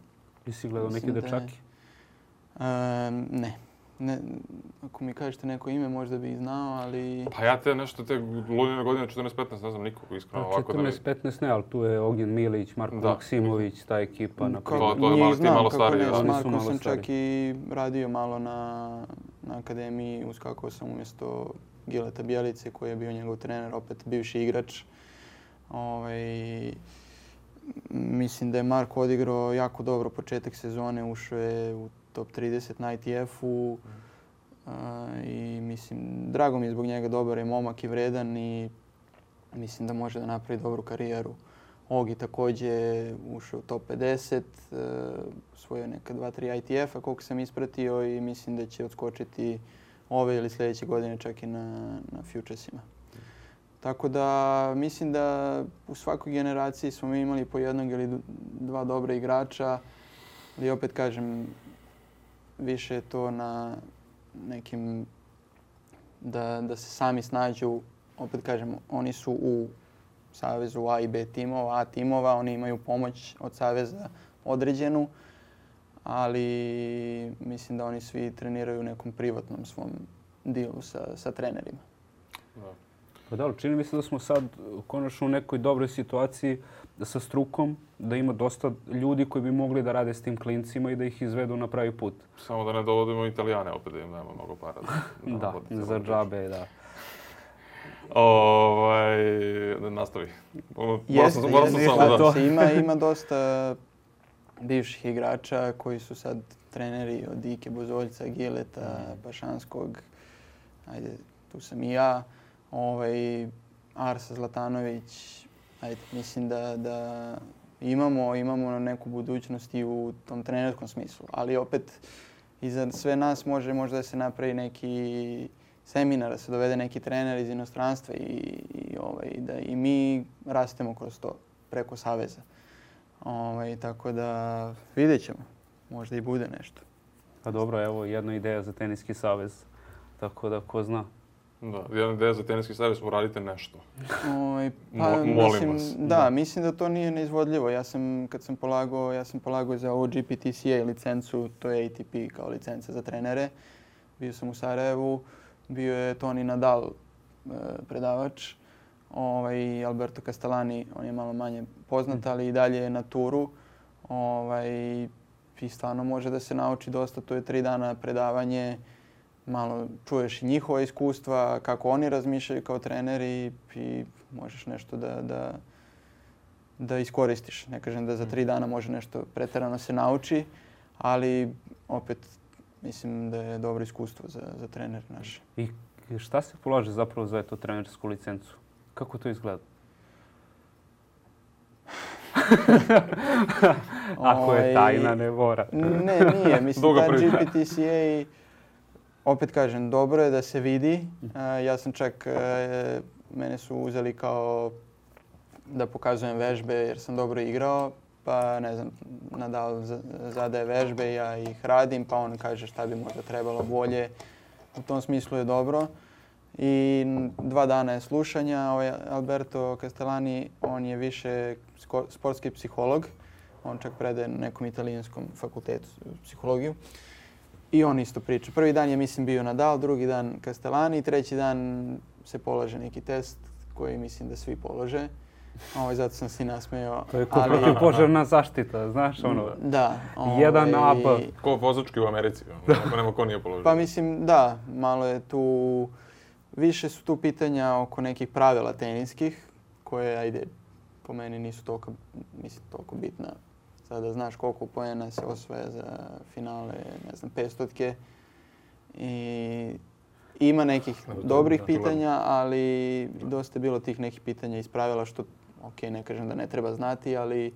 Jesi gledao neki dečaki? Ne. Ako mi kažete neko ime, možda bi znao, ali... Pa ja te Lunine godine 14-15 ne znam nikog iskreno ovako 14-15 ne, ali tu je Ognjen Milić, Marko Maksimović, ta ekipa. To je ti malo stariji. S Markom sam čak i radio malo na akademiji, uskakao sam umjesto Gileta Bjelice koji je bio njegov trener, opet bivši igrač. Mislim da je Marko odigrao jako dobro početak sezone, ušao je u top 30 na ITF-u i mislim, drago mi je zbog njega, dobar je momak i vredan i mislim da može da napravi dobru karijeru. Ogi također ušao u top 50, osvojio neka 2-3 ITF-a koliko sam ispratio i mislim da će odskočiti ove ili sljedeće godine čak i na Futuresima. Tako da mislim da u svakoj generaciji smo mi imali po jednog ili dva dobra igrača, ali opet kažem, više je to na nekim da se sami snađu. Opet kažem, oni su u savezu A i B timova, A timova, oni imaju pomoć od saveza određenu, ali mislim da oni svi treniraju u nekom privatnom svom dilu sa trenerima. Pa da, čini mi se da smo sad konačno u nekoj dobroj situaciji sa strukom, da ima dosta ljudi koji bi mogli da rade s tim klincima i da ih izvedu na pravi put. Samo da ne dovodimo Italijane opet, da im nema mnogo para. Da, za džabe, da. Nastavi. Ima dosta bivših igrača koji su sad treneri od Ike Bozoljca, Gileta, Pašanskog, ajde, tu sam i ja. Arsa Zlatanović, mislim da imamo neku budućnost i u tom trenerskom smislu. Ali opet, iza sve nas može možda da se napravi neki seminar, da se dovede neki trener iz inostranstva i da i mi rastemo kroz to preko saveza. Tako da vidjet ćemo, možda i bude nešto. Pa dobro, evo jedna ideja za teniski savez, tako da ko zna. Da, jedna ideja za teniski savez, uradite nešto. Molim vas. Da, mislim da to nije neizvodljivo. Kad sam polagao za ovu GPTCA licencu, to je ATP kao licenca za trenere. Bio sam u Sarajevu, bio je Toni Nadal predavač, Alberto Castellani, on je malo manje poznat, ali i dalje je na turu. I stvarno može da se nauči dosta, to je 3 dana predavanje. Malo čuješ i njihova iskustva, kako oni razmišljaju kao treneri i možeš nešto da iskoristiš. Ne kažem da za 3 dana može nešto pretjerano se nauči, ali opet mislim da je dobro iskustvo za trener naše. I šta se polaže zapravo za tu trenersku licencu? Kako to izgleda? Ako je tajna, ne mora. Ne, nije. Mislim da GPTCA, opet kažem, dobro je da se vidi. Ja sam čak, mene su uzeli kao da pokazujem vežbe jer sam dobro igrao. Pa ne znam, Nadal zadaje vežbe, ja ih radim, pa on kaže šta bi možda trebalo bolje. U tom smislu je dobro. I 2 dana je slušanja. Alberto Castellani, on je više sportski psiholog. On čak predaje na nekom italijanskom fakultetu psihologiju. I on isto priča. Prvi dan je, mislim, bio Nadal, drugi dan Castellani, treći dan se polaže neki test koji mislim da svi polože. Zato sam se nasmejao. To je protivpožarna zaštita, znaš ono. Da. 1 AP. Ko vozački u Americi, ako nema ko nije položio. Pa mislim, da, malo je tu, više su tu pitanja oko nekih pravila teniskih, koje, ajde, po meni nisu toliko bitna. Sada znaš koliko poena se osvaja za finale, ne znam, 500-tke. I ima nekih dobrih pitanja, ali dosta je bilo tih nekih pitanja iz pravila što, ok, ne kažem da ne treba znati, ali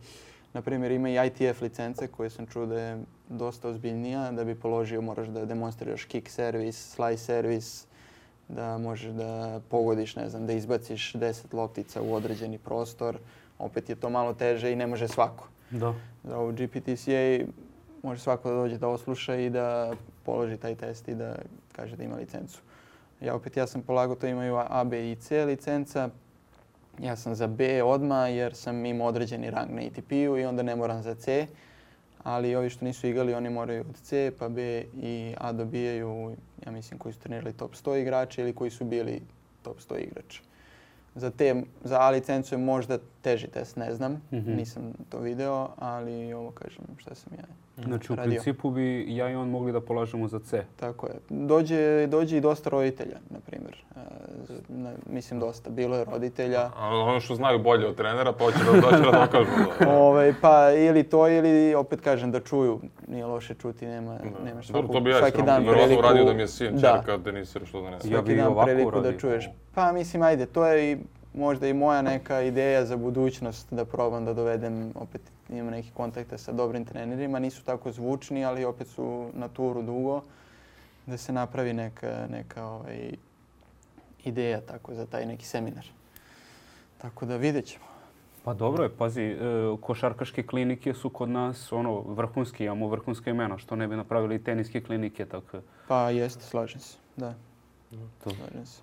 na primjer ima i ITF licence koje sam čuo da je dosta ozbiljnija. Da bi položio moraš da demonstriraš kick servis, slice servis, da možeš da pogodiš, ne znam, da izbaciš 10 loptica u određeni prostor. Opet je to malo teže i ne može svako. Da. Za ovu GPTCA može svako da dođe da osluša i da položi taj test i da kaže da ima licencu. Ja sam polagao, to imaju A, B i C licenca. Ja sam za B odmah jer sam imao određeni rang na ATP-u i onda ne moram za C. Ali ovi što nisu igrali, oni moraju od C pa B i A dobijaju, ja mislim, koji su trenirali top 100 igrača ili koji su bili top 100 igrača. Za A licencu je možda teži test, ne znam, nisam to video, ali ovo kažem šta sam ja Znači u radio. principu bi ja i on mogli da polažemo za C. Tako je. Dođe i dosta roditelja, na primjer. Mislim dosta. Bilo je roditelja. Ono što znaju bolje od trenera, pa hoće da doći da dokažu. Pa ili to, ili opet kažem da čuju. Nije loše čuti, nemaš svaki dan priliku. Radio da mi je sin, čerka, tenisir, što da ne znam. Svaki dan priliku da čuješ. Pa mislim, ajde, to je i možda i moja neka ideja za budućnost da probam da dovedem, opet imam neki kontakte sa dobrim trenerima, nisu tako zvučni, ali opet su na turu dugo, da se napravi neka ideja tako za taj neki seminar. Tako da vidjet ćemo. Pa dobro je, pazi, košarkaške klinike su kod nas vrhunski, imamo vrhunska imena, što ne bi napravili teniske klinike, tako. Pa jeste, slažem se, da. Slažem se.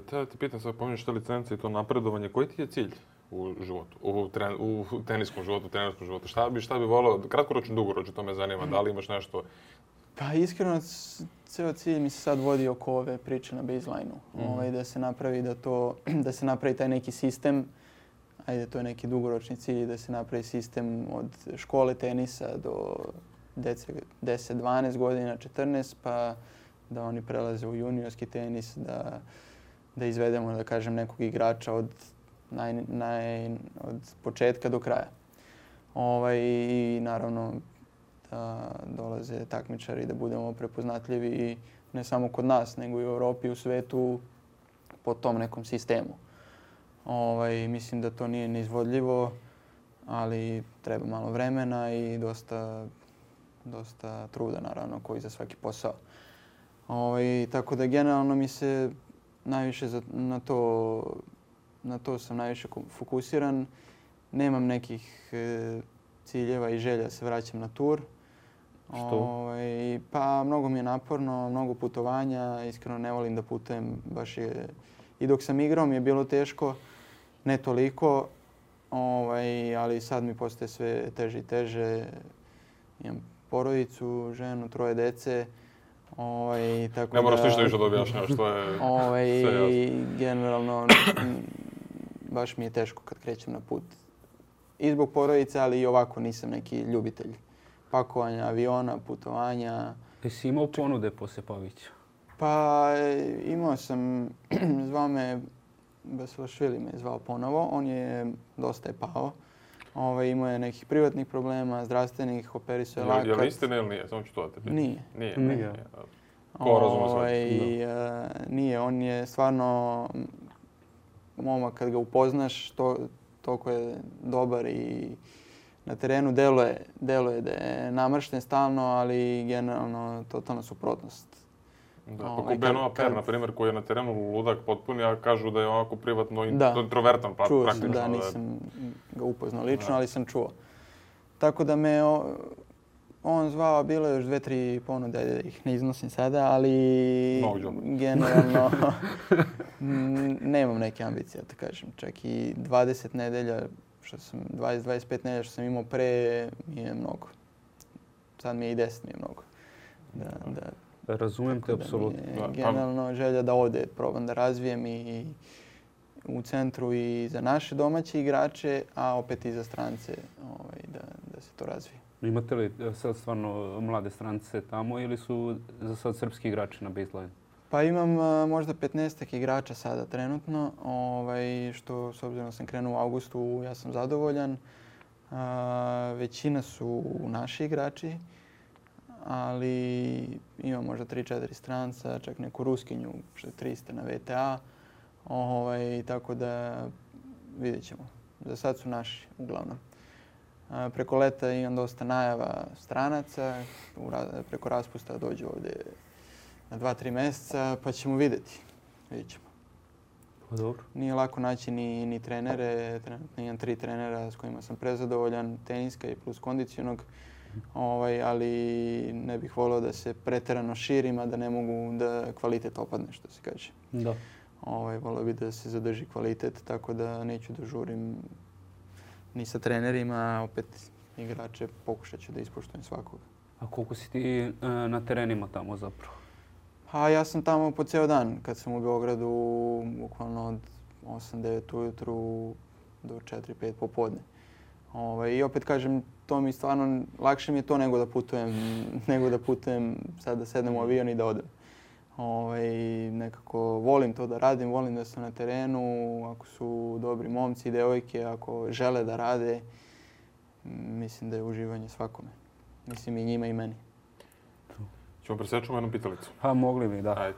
Te pitam sad, pominješ te licence i to napredovanje, koji ti je cilj u životu, u teniskom životu, trenerskom životu? Šta bi volio, kratkoročno, dugoročno, to me zanima, da li imaš nešto? Pa iskreno, ceo cilj mi se sad vodi oko ove priče na baseline-u. Da se napravi taj neki sistem, ajde, to je neki dugoročni cilj, da se napravi sistem od škole tenisa do dece 10-12 godina, 14, pa da oni prelaze u juniorski tenis, da izvedemo, da kažem, nekog igrača od početka do kraja. I naravno da dolaze takmičari, da budemo prepoznatljivi i ne samo kod nas, nego i u Europi i u svetu po tom nekom sistemu. Mislim da to nije neizvodljivo, ali treba malo vremena i dosta truda, naravno, koji za svaki posao. Tako da generalno mi se najviše na to sam najviše fokusiran. Nemam nekih ciljeva i želja da se vraćam na tur. Što? Pa mnogo mi je naporno, mnogo putovanja, iskreno ne volim da putujem, i dok sam igrao mi je bilo teško, ne toliko, ali sad mi postaje sve teže i teže. Imam porodicu, ženu, 3 dece. Ne moraš ništa više da objašnjavaš, to je sve jasno. Generalno, baš mi je teško kad krećem na put. I zbog porodice, ali i ovako nisam neki ljubitelj pakovanja, aviona, putovanja. Jesi imao ponude poslije Pavića? Pa imao sam, zvao me, Basalašvili me zvao ponovo, on je dosta je pao. Imao je nekih privatnih problema, zdravstvenih, operisao je lakat. Je li istina ili nije? Samo ću to da te pitam. Nije. Nije. Ko razume sve? Nije, on je stvarno momak kad ga upoznaš, toliko je dobar i na terenu deluje da je namršten stalno, ali generalno totalna suprotnost. Da, kako Benoit Paire, na primjer, koji je na terenu ludak potpuni, a kažu da je ovako privatno introvertan, pa čuo praktično. Čuo sam, nisam ga upoznao lično, ali sam čuo. Tako da me on zvao, bilo je još 2-3 ponude, da ih ne iznosim sada, ali generalno nemam neke ambicije, da kažem. Čak i 20 nedelja, 20-25 nedelja što sam imao pre, mi je mnogo. Sad mi je i 10 mi je mnogo. Razumijem te, apsolutno. Generalno želja da ovdje probam da razvijem i u centru i za naše domaće igrače, a opet i za strance da se to razvije. Imate li sad stvarno mlade strance tamo ili su za sad srpski igrači na baseline? Pa imam možda 15 igrača sada trenutno, što s obzirom da sam krenuo u augustu, ja sam zadovoljan. Većina su naši igrači, ali imam možda 3-4 stranca, čak neku Ruskinju, što je 300 na VTA. Tako da vidjet ćemo. Za sad su naši uglavnom. Preko leta imam dosta najava stranaca, preko raspusta dođu ovdje na 2-3 mjeseca, pa ćemo vidjeti. Vidjet ćemo. Pa dobro. Nije lako naći ni trenere, trenutno imam 3 trenera s kojima sam prezadovoljan, teniska i plus kondicionog. Ali ne bih volio da se pretjerano širim, a da ne mogu da kvalitet opadne, što se kaže. Da. Volio bih da se zadrži kvalitet, tako da neću da žurim ni sa trenerima, a opet igrače pokušat ću da ispoštujem svakoga. A koliko si ti na terenima tamo zapravo? Ja sam tamo po ceo dan. Kad sam u Beogradu, bukvalno od 8-9 ujutru do 4-5 popodne. I opet kažem, to mi stvarno, lakše mi je to nego da putujem sad da sednem u avion i da odem. Nekako volim to da radim, volim da sam na terenu, ako su dobri momci i devojke, ako žele da rade, mislim da je uživanje svakome. Mislim i njima i meni. Ćemo presečemo jednu pitalicu. Mogli bi, da. Ajde.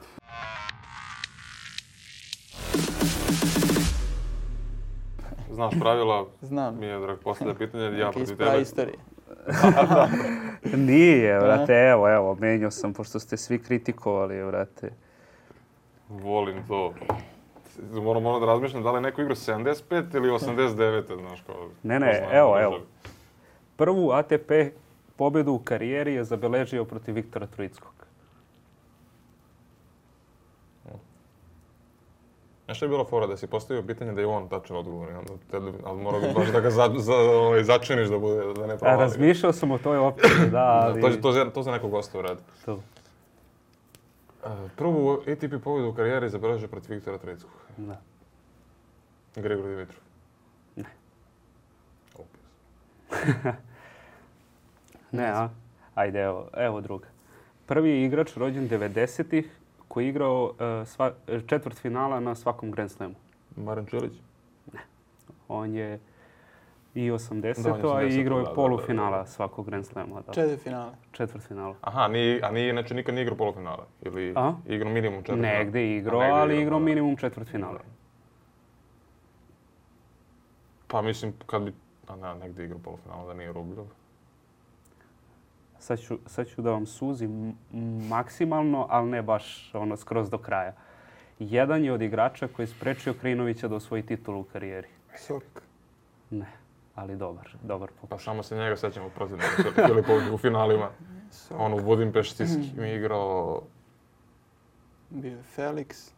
Znaš pravila? Znam. Mi je drag posljednje pitanje. Ja protiv tebe. Neke istorije. Nije, vrate, evo, menjao sam, pošto ste svi kritikovali, vrate. Volim to. Moram da razmišljam da li je neko igrao 75 ili 89, znaš kao. Ne, evo. Prvu ATP pobjedu u karijeri je zabeležio protiv Viktora Troickog. Nešto je bilo fora da si postavio pitanje da je on tačan odgovor, ali morao bi baš da ga začiniš da bude, da ne provali. Razmišljao sam o toj opciji, da, ali... To za nekog gosta uradi. To. Prvu ATP pobjedu u karijeri zabeležio protiv Viktora Troickog. Da. Grigor Dimitrov. Ne. Opis. Ne, Ajde, evo druga. Prvi igrač rođen 90-ih koji je igrao četvrtfinala na svakom Grand Slamu. Marin Čilić? Ne. On je i 80-o, a i igrao je polufinala svakog Grand Slama. Četvrtfinala. Aha, a znači nikad nije igrao polufinala? Ili igrao minimum četvrtfinala? Negde je igrao, ali igrao minimum četvrtfinala. Pa mislim, kad bi... negdje igrao polufinala da nije Rubljov. Sad ću da vam suzim maksimalno, ali ne baš skroz do kraja. Jedan je od igrača koji je sprečio Krinovića da osvoji titulu u karijeri. Solik. Ne, ali dobar pokušaj. Pa samo se njega sećamo protivnika Filipović u finalima. On u Budimpešti mi igrao... Bio je Felix.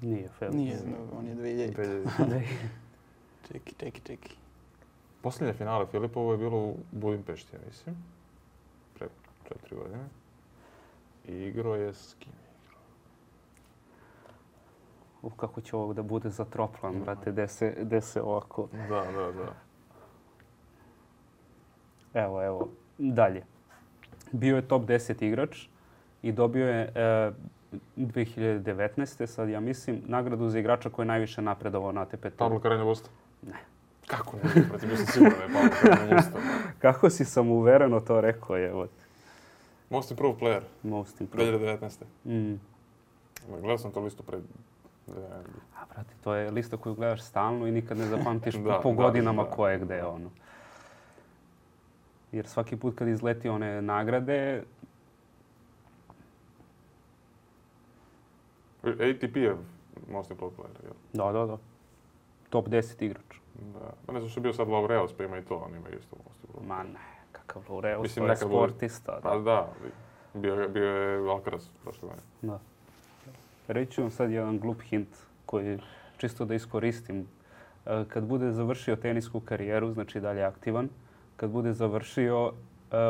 Nije Felix. Nije, on je 2000. Čeki. Posljednje finale Filipovo je bilo u Budimpešti, ja mislim. Pre 4 godine. I igrao je s kim? Kako će ovog da bude zatroplan, brate, gde se ovako... Da. Evo, dalje. Bio je top 10 igrač i dobio je 2019. sad ja mislim nagradu za igrača koji je najviše napredovao na ATP turu. Pablo Carreño Busta? Ne. Kako ne? Protiv bio sam siguran da je Pablo Carreño Busta. Kako si samouvereno to rekao je? Most improved player. Most improved. 2019. Gledao sam to listu pred... brate, to je lista koju gledaš stalno i nikad ne zapamtiš po godinama ko je gde. Jer svaki put kad izleti one nagrade... ATP je most improved player, jel? Da. Top 10 igrač. Da. Pa ne znam što je bio sad Laureus, pa ima i to, on ima isto most improved. Ma ne, kakav Laureus, to je sportista. Pa da, bio je Alcaraz prošle godine. Da. Reći ću vam sad jedan glup hint koji čisto da iskoristim. Kad bude završio tenisku karijeru, znači dalje aktivan, kad bude završio,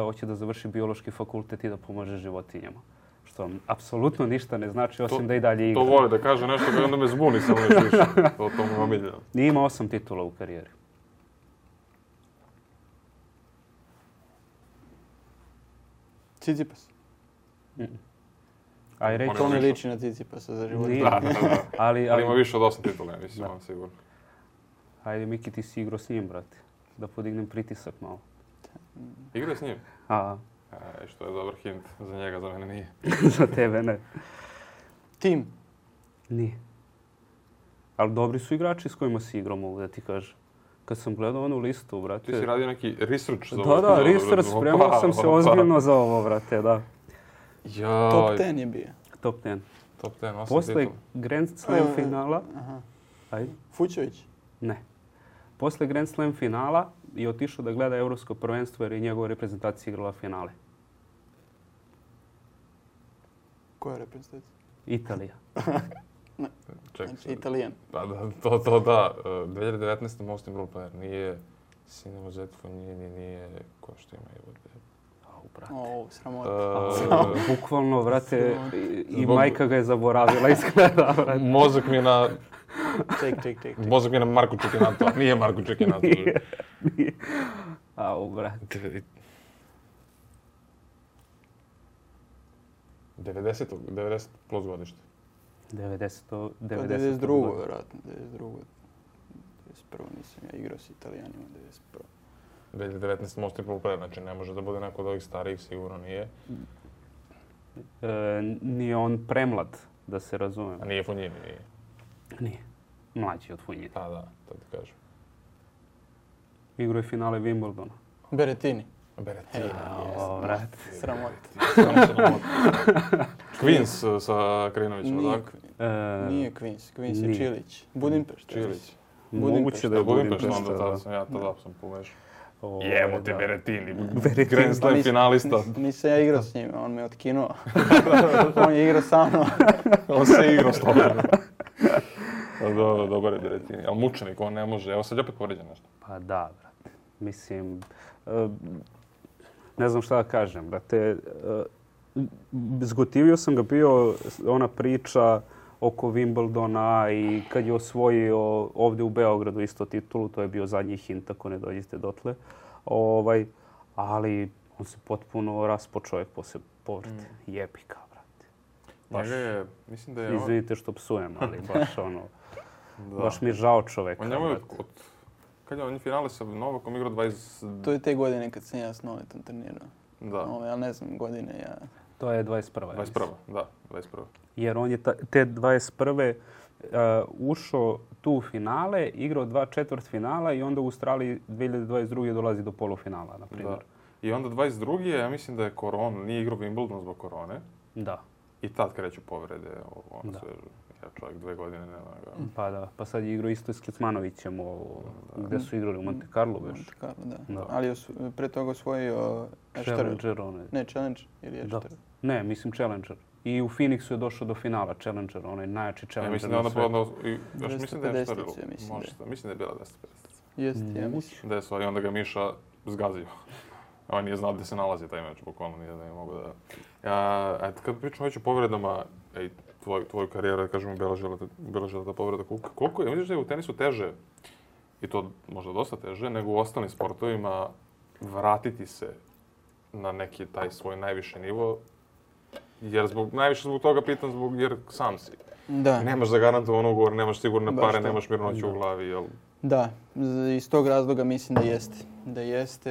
hoće da završi biološki fakultet i da pomaže životinjama. Što vam apsolutno ništa ne znači, osim da i dalje igra. To voli da kaže nešto kada onda me zbuni samo još više. To mu je omiljeno. Nije imao 8 titula u karijeri. Tsitsipas. To ne liči na Tsitsipasa za život. Da. Ali ima više od 8 titula, mislim, vam sigurno. Ajde, Miki, ti si igrao s njim, brate. Da podignem pritisak malo. Igrao s njim? Što je dobar hint za njega, za mene nije. Za tebe ne. Tim? Nije. Ali dobri su igrači s kojima si igrao, mogu da ti kažem. Kad sam gledao onu listu, brate... Ti si radio neki research za ovo? Da, research, spremao sam se ozbiljno za ovo, brate, da. Top 10 je bio. Top 10. Top 10, 8 Posle Grand Slam finala... Fučević? Ne. Posle Grand Slam finala je otišao da gleda Evropsko prvenstvo jer je njegova reprezentacija igrala finale? Koja reprezentacija? Italija. Čekaj, Znači, Italijan. Pa da, to da. 2019. Most Improved Player nije Sinema Zetfonjini, nije ko što ima i Brate. O, sramota. Bukvalno, brate, i Zbog- majka ga je zaboravila izgleda, brate. Mozak mi je na... Ček. Mozak mi je na Marko Čekinato. Nije Marko Čekinato. Nije. Brate. 90 plus godište. 90. 92. vjerojatno. 92. 91. nisam ja igrao s Italijanima. 91. 2019 Most Improved Player, znači ne može da bude neko od ovih starijih, sigurno nije. Nije on premlad, da se razume. A nije Fonjini, nije. Nije. Mlađi od Funjina. Pa da, to ti kažem. Igrao je finale Wimbledona. Berettini. Berettini. Brate. Sramota. Queens sa Krinovićem, Nije, tako? nije Queens. Queens je Nije. Čilić. Budimpešta. Čilić. Moguće da je Budimpešta, Budimpešta. onda tada sam ja tada sam pomešao. Jemo ti da. Berettini. Berettini. Grand Slam finalista. Nisam ja igrao s njim, on me otkinuo. On je igrao sa mnom. On se igrao s tobom. Dobar je Berettini, ali mučenik, on ne može. Evo sad je opet povređen nešto. Pa da, brate. Mislim, ne znam šta da kažem, brate. Zgotivio sam ga bio ona priča oko Wimbledona i kad je osvojio ovdje u Beogradu isto titulu, to je bio zadnji hint ako ne dođete dotle. Ali on se potpuno raspo čovjek poslije povrede. Jebika, brate. Baš, Njega je, mislim da je on... izvinite što psujem, ali baš ono, Da. baš mi je žao čovjeka. On njemu je brate. kad je on finale sa Novakom igrao 20... To je te godine kad sam ja s Novetom trenirao. Da, Ali ne znam, godine ja... To je 21. ja 21. Da, 21. Jer on je te 21. Ušao tu u finale, igrao 2 četvrtfinala i onda u Australiji 2022. dolazi do polufinala, na primjer. Da. I onda 22. ja mislim da je korona, nije igrao Wimbledon zbog korone. Da. I tad kreću povrede, ono Da. sve, ja čovjek 2 godine nema ga. Pa da. Pa sad je igrao isto i s Kecmanovićem, gdje su igrali u Monte Carlo već. Monte Carlo, da. Da. Ali je pre toga osvojio Ešter. Challenger onaj. Ne, Challenge ili Da. Ešter. Ne, mislim Challenger. I u Phoenixu je došao do finala Challenger, onaj najjači Ja Challenger mislim da je na onda svijetu. podno, još mislim da je 250 Ešter, ja mislim možda, mislim da je bila 250. Jeste, ja mislim. Da je stvari, onda ga Miša zgazio. On nije znao gdje se nalazi taj meč, bukvalno nije da je mogu da... Kad pričamo već o povredama, tvoju karijeru, da kažemo, obeležila ta povreda, koliko je, misliš da je u tenisu teže, i to možda dosta teže, nego u ostalim sportovima, vratiti se na neki taj svoj najviši nivo, jer najviše zbog toga pitam, jer sam si. Da. Nemaš zagarantovan ugovor, nemaš sigurne Baš pare, to. nemaš mirnoću u glavi, jel? Da, iz tog razloga mislim da jeste. Da jeste,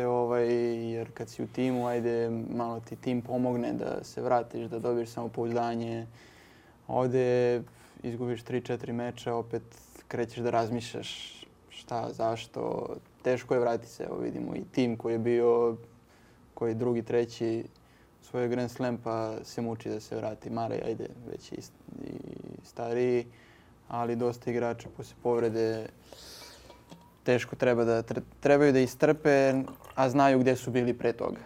jer kad si u timu, ajde, malo ti tim pomogne da se vratiš, da dobiješ samopouzdanje. Ovdje izgubiš 3-4 meča, opet krećeš da razmišljaš šta, zašto. Teško je vratiti se, evo vidimo i tim koji je bio, koji drugi, treći svoj Grand Slam pa se muči da se vrati. Marej, ajde, već i stariji, ali dosta igrača poslije povrede teško trebaju da istrpe, a znaju gdje su bili pre toga.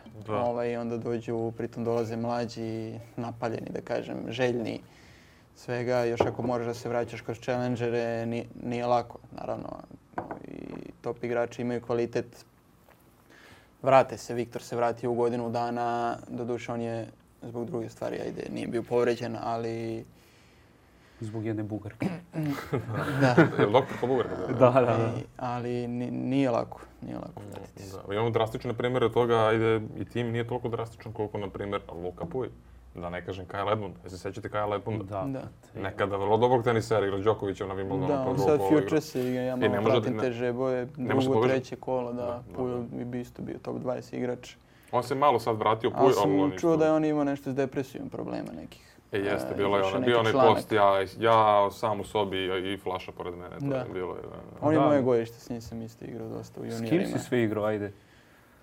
I onda dođu, pritom dolaze mlađi, napaljeni, da kažem, željni svega. Još ako moraš da se vraćaš kroz challengere, nije lako, naravno. I top igrači imaju kvalitet. Vrate se, Viktor se vratio u godinu dana, doduše on je zbog druge stvari, ajde, nije bio povređen, ali... Zbog jedne Bugarke. Da. Je li doktor po Bugarka? Da. Ali nije lako vratiti se. Da. Imamo drastične primjere toga, ajde, i tim nije toliko drastičan koliko, na primjer, Luka Puj. Da ne kažem Kyle Edmund. Jesi se sjećate Kyle Edmunda? Da. Nekada vrlo dobrog tenisera, igra Đokovića na Wimbledonu. Da, on sad Futures igra, ja malo pratim te žeboje, drugo, treće kolo, da. Puj bi isto bio top 20 igrač. On se malo sad vratio Puj, ali sam čuo da je on imao nešto s depresijom problema nekih. Jeste, bilo je ona, bio onaj post, ja sam u sobi i flaša pored mene. To je bilo. On je moje godište, s njim sam isto igrao dosta u juniorima. S kim si sve igrao, ajde?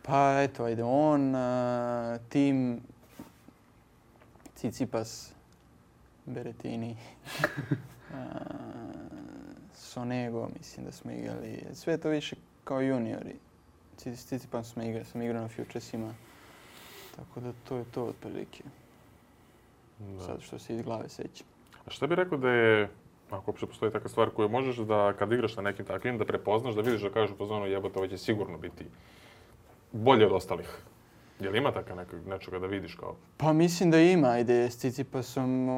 Pa eto, ajde, on, tim, Tsitsipas, Berettini, Sonego, mislim da smo igrali. Sve to više kao juniori. s Tsitsipasom sam igrao na Futuresima. Tako da to je to otprilike. Sad što se iz glave sećam. A šta bi rekao da je, ako uopće postoji takva stvar koju možeš da kad igraš na nekim takvim, da prepoznaš, da vidiš da kažeš u fazonu jebote, ovo će sigurno biti bolje od ostalih. Je li ima tako nečega da vidiš kao? Pa mislim da ima. Ajde, s Tsitsipasom,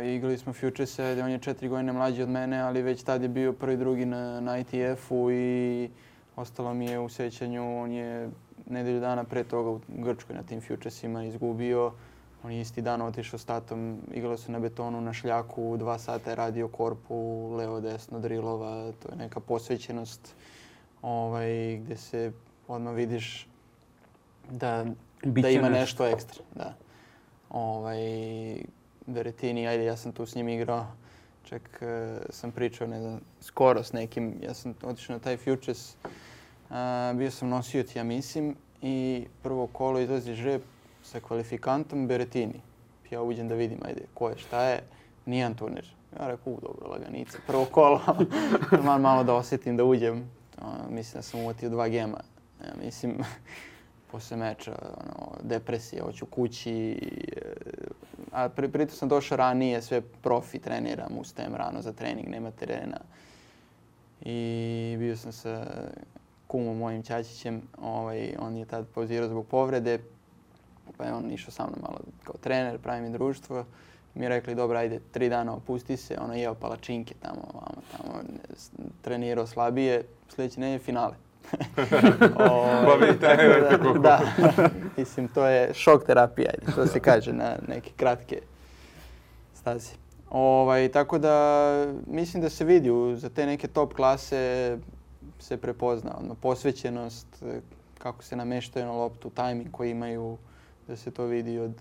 igrali smo Futurese, on je 4 godine mlađi od mene, ali već tad je bio prvi, drugi na ITF-u i ostalo mi je u sećanju, on je nedelju dana pre toga u Grčkoj na tim Futuresima izgubio. On je isti dan otišao s tatom, igrali su na betonu, na šljaku, 2 sata je radio korpu, levo, desno, drilova, to je neka posvećenost gdje se odmah vidiš da ima nešto ekstra. Da. Berrettini, ajde, ja sam tu s njim igrao, čak sam pričao, ne znam, skoro s nekim, ja sam otišao na taj Futures, bio sam nosioc, ja mislim, i prvo kolo izlazi žreb sa kvalifikantom Berrettini. Ja uđem da vidim, ajde, ko je, šta je, nijedan turnir. Ja rekao, dobro, laganica, prvo kolo, malo da osjetim da uđem. Mislim da sam uvatio 2 gema. Ja mislim, posle meča, depresija, hoću kući. A pritom sam došao ranije, sve profi, treniram, ustajem rano za trening, nema terena. I bio sam sa kumom mojim Ćačićem, on je tad pauzirao zbog povrede, pa je on išao sa mnom malo kao trener, pravi mi društvo. Mi je rekli, dobro, ajde, 3 dana opusti se, jeo palačinke tamo, trenirao slabije, sljedeće nedelje finale. Pa vi trenirate koliko? Da, mislim, to je šok terapija, ajde, to se kaže na neke kratke staze. Tako da, mislim da se vidi, za te neke top klase se prepozna, posvećenost, kako se nameštaju na loptu, tajming koji imaju, da se to vidi od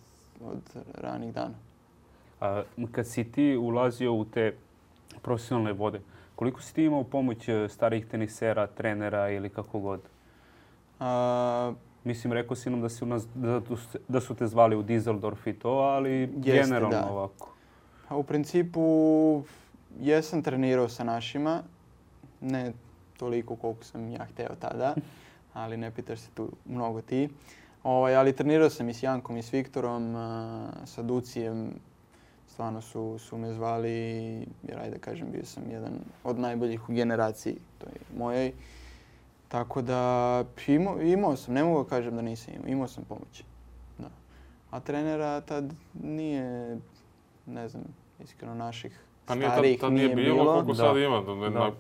ranih dana. A kad si ti ulazio u te profesionalne vode, koliko si ti imao pomoć starih tenisera, trenera ili kako god? Mislim, rekao si nam da su te zvali u Düsseldorf i to, ali generalno da. Ovako. U principu, jesam trenirao sa našima, ne toliko koliko sam ja hteo tada, ali ne pitaš se tu mnogo ti. Ali trenirao sam i s Jankom i s Viktorom, sa Ducijem. Stvarno su me zvali, jer ajde kažem, bio sam jedan od najboljih u generaciji toj mojoj. Tako da imao sam, ne mogu kažem da nisam imao sam pomoć. Da. A trenera tad nije, ne znam, iskreno naših starih tad nije bilo. Koliko sad ima,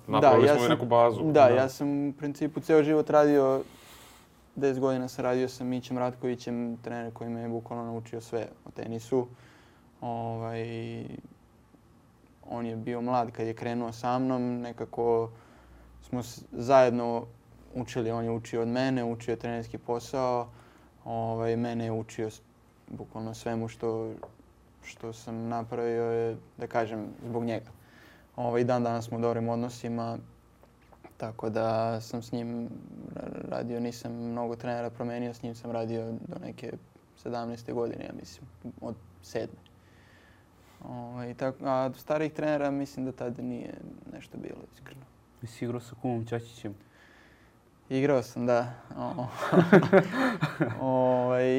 napravili smo i neku bazu. Da, ja sam u principu ceo život radio, 10 godina sam radio sa Mićem Ratkovićem, trener koji me je bukvalno naučio sve o tenisu. On je bio mlad kad je krenuo sa mnom, nekako smo zajedno učili, on je učio od mene, učio trenerski posao, mene je učio bukvalno svemu što sam napravio je, da kažem, zbog njega. Dan danas smo u dobrim odnosima, tako da sam s njim radio, nisam mnogo trenera promenio, s njim sam radio do neke 17. godine, ja mislim, od 7. A starih trenera mislim da tada nije nešto bilo, iskreno. Jesi igrao sa kumom Ćačićem? Igrao sam, da.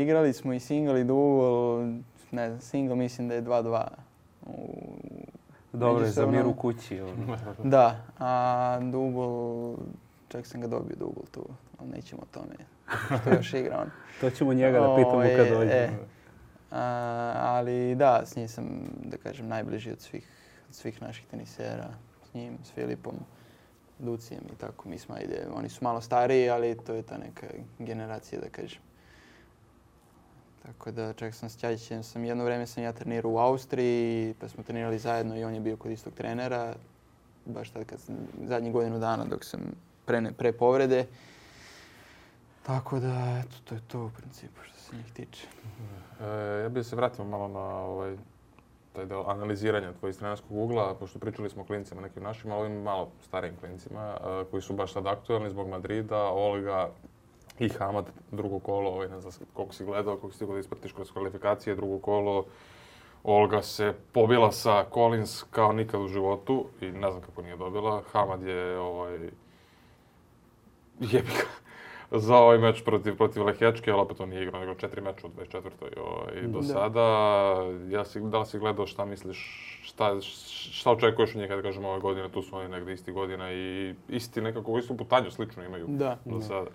Igrali smo i single i double, ne znam, single mislim da je 2-2. Dobro je za mir u kući. Da, a double, čak sam ga dobio double tu, ali nećemo o tome što još igra on. To ćemo njega da pitamo kad dođe. Ali da, s njim sam, da kažem, najbliži od svih naših tenisera. S njim, s Filipom, Ducijem i tako. Mi smo, oni su malo stariji, ali to je ta neka generacija, da kažem. Tako da čak sam s Ćačićem, jedno vreme sam ja trenirao u Austriji, pa smo trenirali zajedno i on je bio kod istog trenera. Baš tad kad sam, zadnjih godinu dana dok sam pre povrede. Tako da, eto, to je to u principu što se njih tiče. Ja bih se vratio malo na taj deo analiziranja tvojih trenerskog ugla, pošto pričali smo o klincima nekim našim, ali ovim malo starijim klincima koji su baš sad aktualni zbog Madrida, Olga i Hamad, drugo kolo, ne znam koliko si gledao, koliko si stigao da ispratiš kroz kvalifikacije, drugo kolo. Olga se pobila sa Collins kao nikad u životu i ne znam kako nije dobila. Hamad je jebika. za ovaj meč protiv Lehečke, ali opet on nije igrao nego 4 meča u 24. Do sada. Da li si gledao, šta misliš, šta očekuješ od njih, kada kažemo ove godine, tu su oni negdje isti godina i istu putanju slično imaju do sada.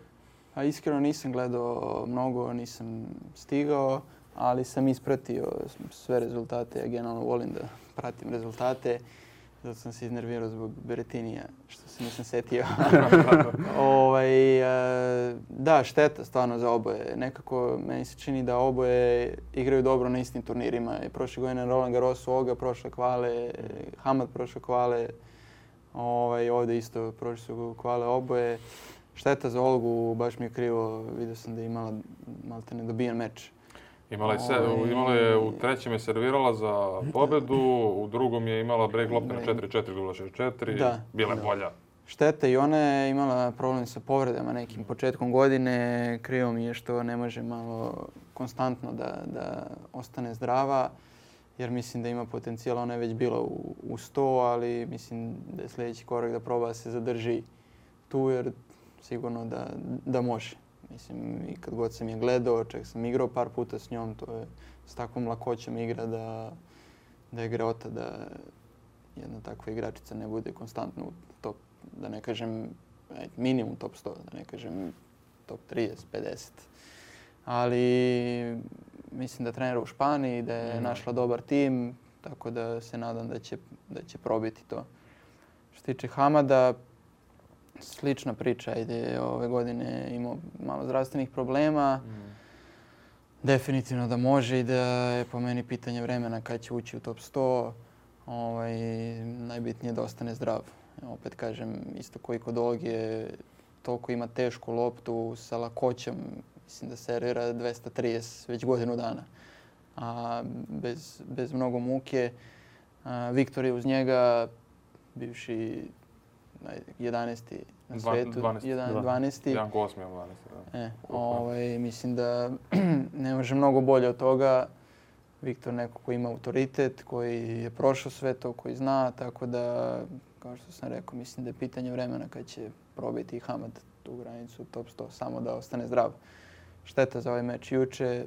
A iskreno nisam gledao mnogo, nisam stigao, ali sam ispratio sve rezultate. Ja generalno volim da pratim rezultate. Zato sam se iznervirao zbog Berettinija, što se nisam setio. Da, šteta stvarno za oboje. Nekako meni se čini da oboje igraju dobro na istim turnirima. Prošle godine Roland Garros, Olga prošle kvale, Hamad prošle kvale. Ovdje isto prošle su kvale oboje. Šteta za Olgu, baš mi je krivo. Vidio sam da je imala malte nedobijen meč. Imala je u trećem je servirala za pobedu, u drugom je imala break lopte na 4-4, dubla 6-4, bila je bolja. Šteta i ona je imala problem sa povredama nekim početkom godine. Krivo mi je što ne može malo konstantno da ostane zdrava, jer mislim da ima potencijal. Ona je već bila u 100, ali mislim da je sljedeći korak da proba da se zadrži tu, jer sigurno da može. Mislim, i kad god sam je gledao, čak sam igrao par puta s njom, to je s takvom lakoćom igra da je greota da jedna takva igračica ne bude konstantno u top, da ne kažem minimum top 100, da ne kažem top 30, 50. Ali mislim da trenira u Španiji, da je našla dobar tim, tako da se nadam da će probiti to. Što se tiče Hamada, slična priča, ove godine imao malo zdravstvenih problema. Definitivno da može i da je po meni pitanje vremena kad će ući u top 100. Najbitnije je da ostane zdrav. Opet kažem, isto koji kod Olge, toliko ima tešku loptu sa lakoćom. Mislim da servira 230 već godinu dana. A bez mnogo muke. Viktor je uz njega, bivši 11. na svijetu. 12. Janko 8. 12. Mislim da ne može mnogo bolje od toga. Viktor neko koji ima autoritet, koji je prošao sve to, koji zna, tako da, kao što sam rekao, mislim da je pitanje vremena kad će probiti Hamad tu granicu top 100, samo da ostane zdrav. Šteta za ovaj meč juče.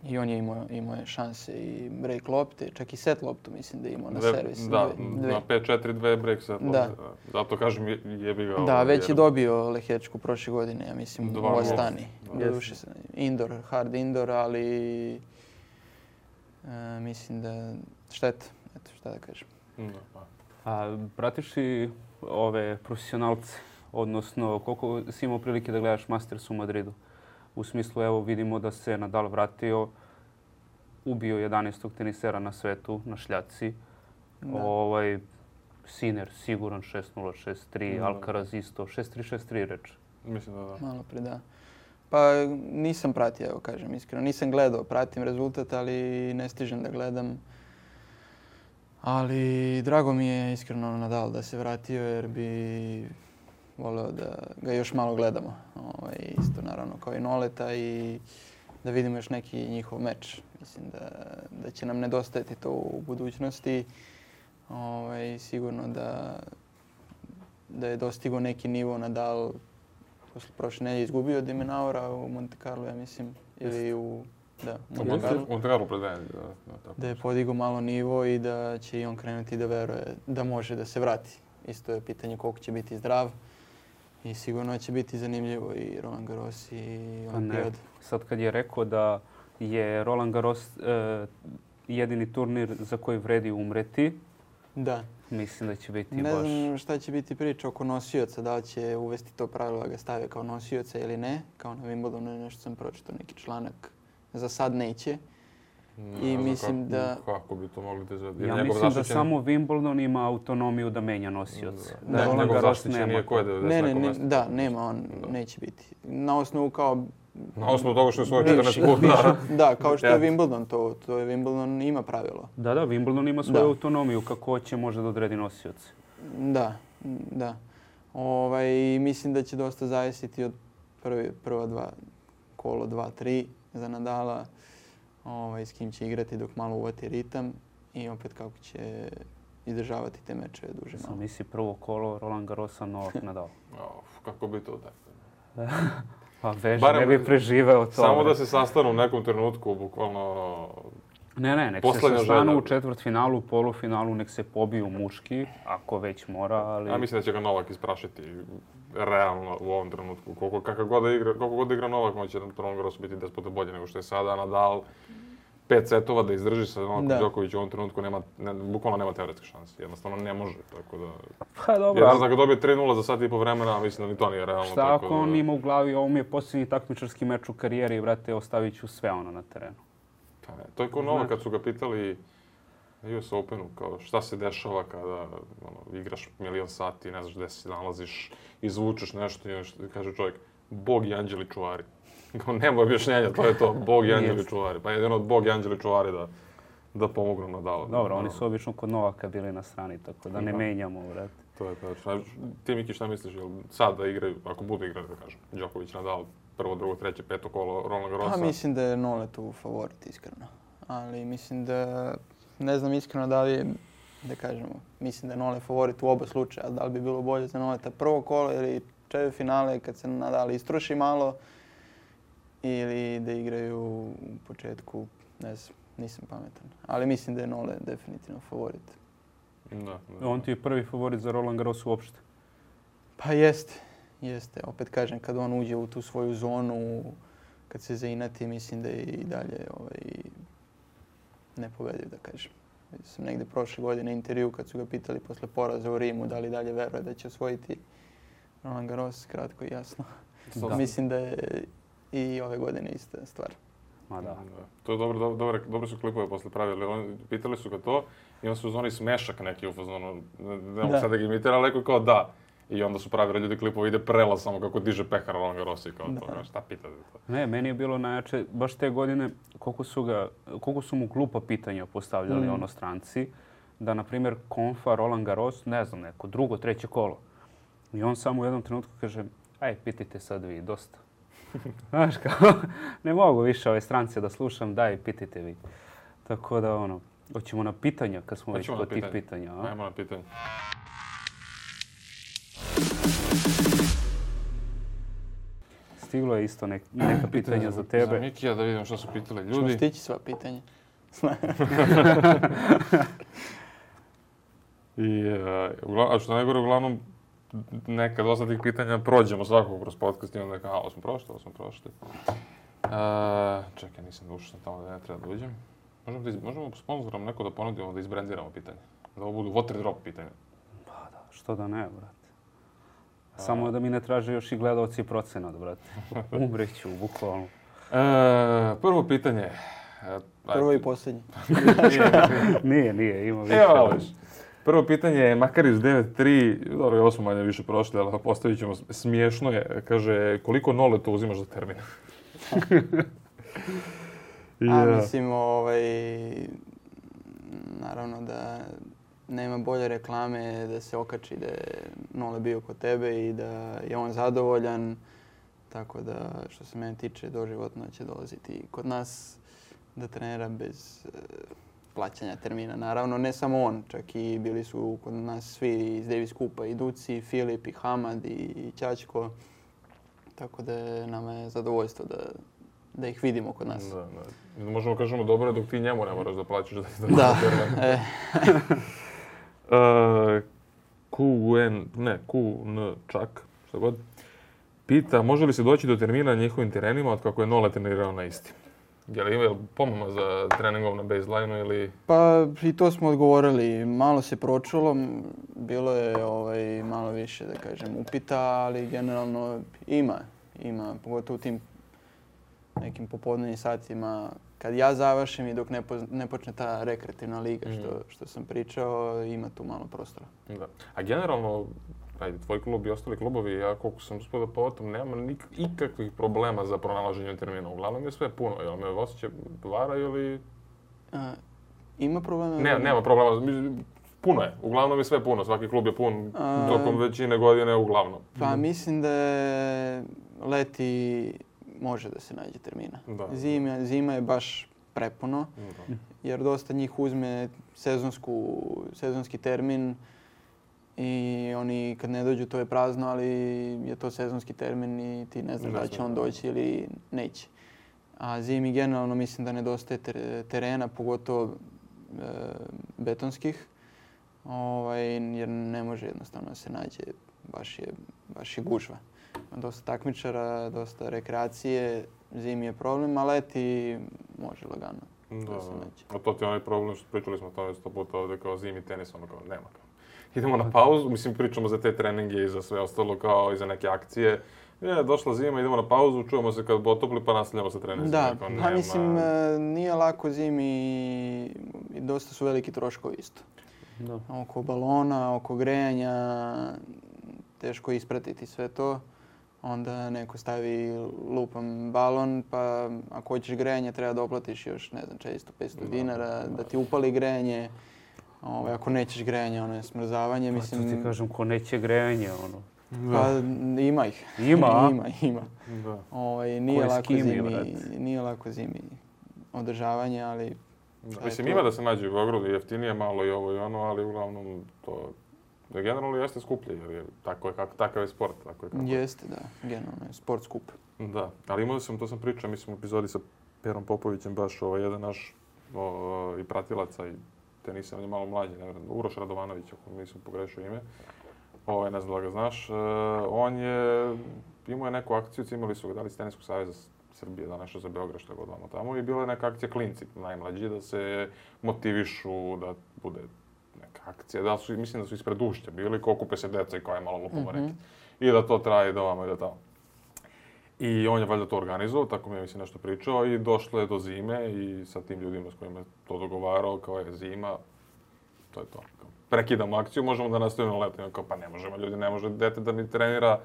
I on je imao šanse i break lopte, čak i set loptu mislim da je imao na servis. Da, na 5-4-2 break set lopte. Zato kažem jebi ga. Da, već je dobio Lehečku prošle godine, ja mislim, u Astani. Doduše indoor, hard indoor, ali mislim da šteta, eto šta da kažem. A pratiš li ove profesionalce, odnosno koliko si imao prilike da gledaš Masters u Madridu? U smislu, evo, vidimo da se Nadal vratio, ubio 11. tenisera na svetu, na šljaci. Sinner siguran 6-0, 6-3, Alcaraz isto, 6-3, 6-3 reč. Mislim da. Malo pre, da. Pa nisam pratio, evo kažem iskreno. Nisam gledao, pratim rezultat, ali ne stižem da gledam. Ali drago mi je iskreno Nadal da se vratio, jer bi voleo da ga još malo gledamo. Isto naravno kao i Noleta i da vidimo još neki njihov meč. Mislim da će nam nedostajati to u budućnosti. Sigurno da je dostigao neki nivo Nadal. Prošle nedelje izgubio De Minaura u Monte Carlo, ja mislim. Ili u Monte Carlo pred nedelje. Da je podigao malo nivo i da će i on krenuti da veruje da može da se vrati. Isto je pitanje koliko će biti zdrav. I sigurno će biti zanimljivo i Roland Garros i Olimpijad. Sad kad je rekao da je Roland Garros jedini turnir za koji vredi umreti, da. Mislim da će biti ne znam šta će biti priča oko nosioca, da li će uvesti to pravilo da ga stave kao nosioca ili ne. Kao na Wimbledonu nešto sam pročitao neki članak. Za sad neće. I mislim da... Kako bi to mogli da izvedi? Ja mislim da samo Wimbledon ima autonomiju da menja nosioce. Njegov zaštićen nije ko je 90 mjesto. Da, nema, on neće biti. Na osnovu kao... Na osnovu toga što je svoje 14 puta. Da, kao što je Wimbledon, to je Wimbledon ima pravilo. Da, Wimbledon ima svoju autonomiju kako će može da odredi nosioce. Da. Mislim da će dosta zavisiti od prva dva kolo 2-3 za Nadala. S kim će igrati dok malo uvati ritam i opet kako će izdržavati te mečeve duže malo. Misli prvo kolo Roland Garrosa, Novak, Nadal. Kako bi to tako? Pa Vež ne bi preživeo to. Samo da se sastanu u nekom trenutku, bukvalno... Ne, nek se sastanu u četvrtfinalu, polufinalu, nek se pobiju muški, ako već mora, ali... Ja mislim da će ga Novak isprašiti realno u ovom trenutku. Koliko god igra Novak, on će na Roland Garrosu biti 10 puta bolje nego što je sada. Nadal 5 setova da izdrži sa Novakom Đoković u ovom trenutku bukvalno nema teoretske šanse. Jednostavno ne može, tako da... Pa dobro. Jedno da ga dobije 3-0 za sat i po vremena, mislim da ni to nije realno. Šta ako on ima u glavi, ovo mi je posljednji takmičarski meč u karijeri i vrate, ostavit ću sve ono na terenu. Pa ne, to je kao Novak kad su ga pitali na US Openu, kao šta se dešava kada igraš milion sati, ne znaš gde se nalaziš, izvučeš nešto i kaže čovjek, Bog i anđeli čuvari. Kao nema objašnjenja, to je to, Bog i anđeli čuvari. Pa jedino od Bog i anđeli čuvari da pomognu Nadalu. Dobro, oni su obično kod Novaka bili na strani, tako da ne menjamo, vrati. To je tačno. Ti, Miki, šta misliš, jel sad da igraju, ako budu igrati, da kažem, Đoković, Nadal, prvo, drugo, treće, peto kolo Roland Garrosa? Pa mislim da je Nole tu favorit, iskreno. Ali mislim da, ne znam iskreno da li je, da kažemo, mislim da je Nole favorit u oba slučaja. Da li bi bilo bolje za Noleta prvo kolo ili četvrtfinale kad se Nadal istroši malo ili da igraju u početku, ne znam, nisam pametan. Ali mislim da je Nole definitivno favorit. Da. On ti je prvi favorit za Roland Garros uopšte? Pa jeste. Opet kažem, kad on uđe u tu svoju zonu, kad se zainati, mislim da je i dalje nepobediv, da kažem. Sam negde prošle godine intervju kad su ga pitali posle poraza u Rimu da li dalje veruje da će osvojiti Roland Garros, kratko i jasno. Da. Mislim da je i ove godine ista stvar. Ma da. To je dobro su klipove posle pravili. Pitali su ga to i onda su zvoni smešak neki u fazonu. Ne mogu sad da ga imitira, ali kao da. I onda su pravili ljudi klipove, ide prelaz samo kako diže pehar Roland Garros i kao to. Šta pitate to? Ne, meni je bilo najjače, baš te godine, koliko su mu glupa pitanja postavljali stranci. Da, na primjer, konfa Roland Garros, ne znam, neko drugo, treće kolo. I on samo u jednom trenutku kaže, aj, pitajte sad vi, dosta. Znaš, kao, ne mogu više ove strance da slušam, daj, pitajte vi. Tako da, hoćemo na pitanja, kad smo već kod tih pitanja. Ajmo na pitanja. Stiglo je isto neka pitanja za tebe. Za Mikija, da vidimo što su pitali ljudi. Ćemo stići sva pitanja. A što najgore, uglavnom, nekad dosta tih pitanja prođemo svakog kroz podcast i onda ovo smo prošli. Čekaj, nisam da ušao tamo da ne treba da uđem. Možemo sponzorom neko da ponudimo da izbrendiramo pitanje. Da ovo budu water drop pitanja. Pa da, što da ne, brate. Samo da mi ne traže još i gledalci procenat, brate. Umreću, bukvalno. Prvo pitanje. Prvo i posljednje. Nije, ima više. Prvo pitanje je Makarić 9.3, dobro, ovo smo manje više prošli, ali postavit ćemo, smiješno je, kaže, koliko Nole to uzimaš za termin? Mislim, naravno da nema bolje reklame da se okači da je Nole bio kod tebe i da je on zadovoljan. Tako da, što se mene tiče, doživotno će dolaziti kod nas da trenira bez plaćanja termina. Naravno, ne samo on, čak i bili su kod nas svi iz Davis Cupa, i Duci, i Filip, i Hamad, i Ćačko. Tako da nama je zadovoljstvo da ih vidimo kod nas. Da. Možemo kažemo dobro dok ti njemu ne moraš da plaćaš da da. QN čak, što god, pita može li se doći do termina na njihovim terenima od kako je Nole trenirao na istim? Je li ima pomama za treningom na baseline-u ili... Pa i to smo odgovorili. Malo se pročulo, bilo je malo više, da kažem, upita, ali generalno ima, pogotovo u tim nekim popodnevnim satima. Kad ja završim i dok ne počne ta rekreativna liga, što sam pričao, ima tu malo prostora. Da. A generalno, tvoj klub i ostali klubovi, ja koliko sam uspio da potom, nema ikakvih problema za pronalaženje termina. Uglavnom je sve puno. Jel me osjeća vara ili... Ima problema? Nema problema. Puno je. Uglavnom je sve puno. Svaki klub je pun tokom većine godine uglavnom. Pa mislim da leti može da se nađe termina. Zima je baš prepuno, jer dosta njih uzme sezonski termin i oni kad ne dođu to je prazno, ali je to sezonski termin i ti ne znaš da će on doći ili neće. A zimi generalno mislim da nedostaje terena, pogotovo betonskih, jer ne može jednostavno da se nađe, baš je gužva. Dosta takmičara, dosta rekreacije, zimi je problem, a leti može lagano. Da. A to ti je onaj problem što pričali smo o tome 100 puta ovdje kao zimi tenis, ono kao nema kao. Idemo na pauzu, mislim pričamo za te treninge i za sve ostalo kao i za neke akcije. Došla zima, idemo na pauzu, čujemo se kad bo topli pa nastavljamo sa treningom. Da, pa mislim nije lako zimi i dosta su veliki troškovi isto. Da. Oko balona, oko grejanja, teško ispratiti sve to. Onda neko stavi lupan balon, pa ako hoćeš grejanje treba da oplatiš još, ne znam, 400-500 dinara, da ti upali grejanje. Ako nećeš grejanje, ono je smrzavanje. Mislim, to ti kažem, ko neće grejanje, ono. Pa ima ih. Ima? Ima. Nije lako zimi održavanje, ali... Mislim, ima da se nađe u Beogradu, jeftinije malo i ovo i ono, ali uglavnom to... Generalno jeste skuplje, jer je takav je sport. Jeste, da. Generalno je sport skup. Da, ali imao sam, to sam pričao, mislim u epizodi sa Perom Popovićem, baš jedan naš i pratilaca i tenisa, on je malo mlađi, Uroš Radovanović, ako nisam pogrešio ime. Ne znam da ga znaš. On je imao neku akciju, imali su ga dali iz Teniskog saveza Srbije, da nešto za Beograd, što je god vamo tamo. I bila je neka akcija klinci, najmlađi, da se motivišu, da bude neka akcija. Mislim da su ispred Ušća bili, ko okupe se deca i koja je malo lupamo reket. I da to traje do vamo i do tamo. I on je valjda to organizovao, tako mi je mislim nešto pričao i došlo je do zime i sa tim ljudima s kojima je to dogovarao, kao je zima, to je to. Prekidamo akciju, možemo da nastavimo na leto. Kao, pa ne možemo, ljudi, ne može dete da mi trenira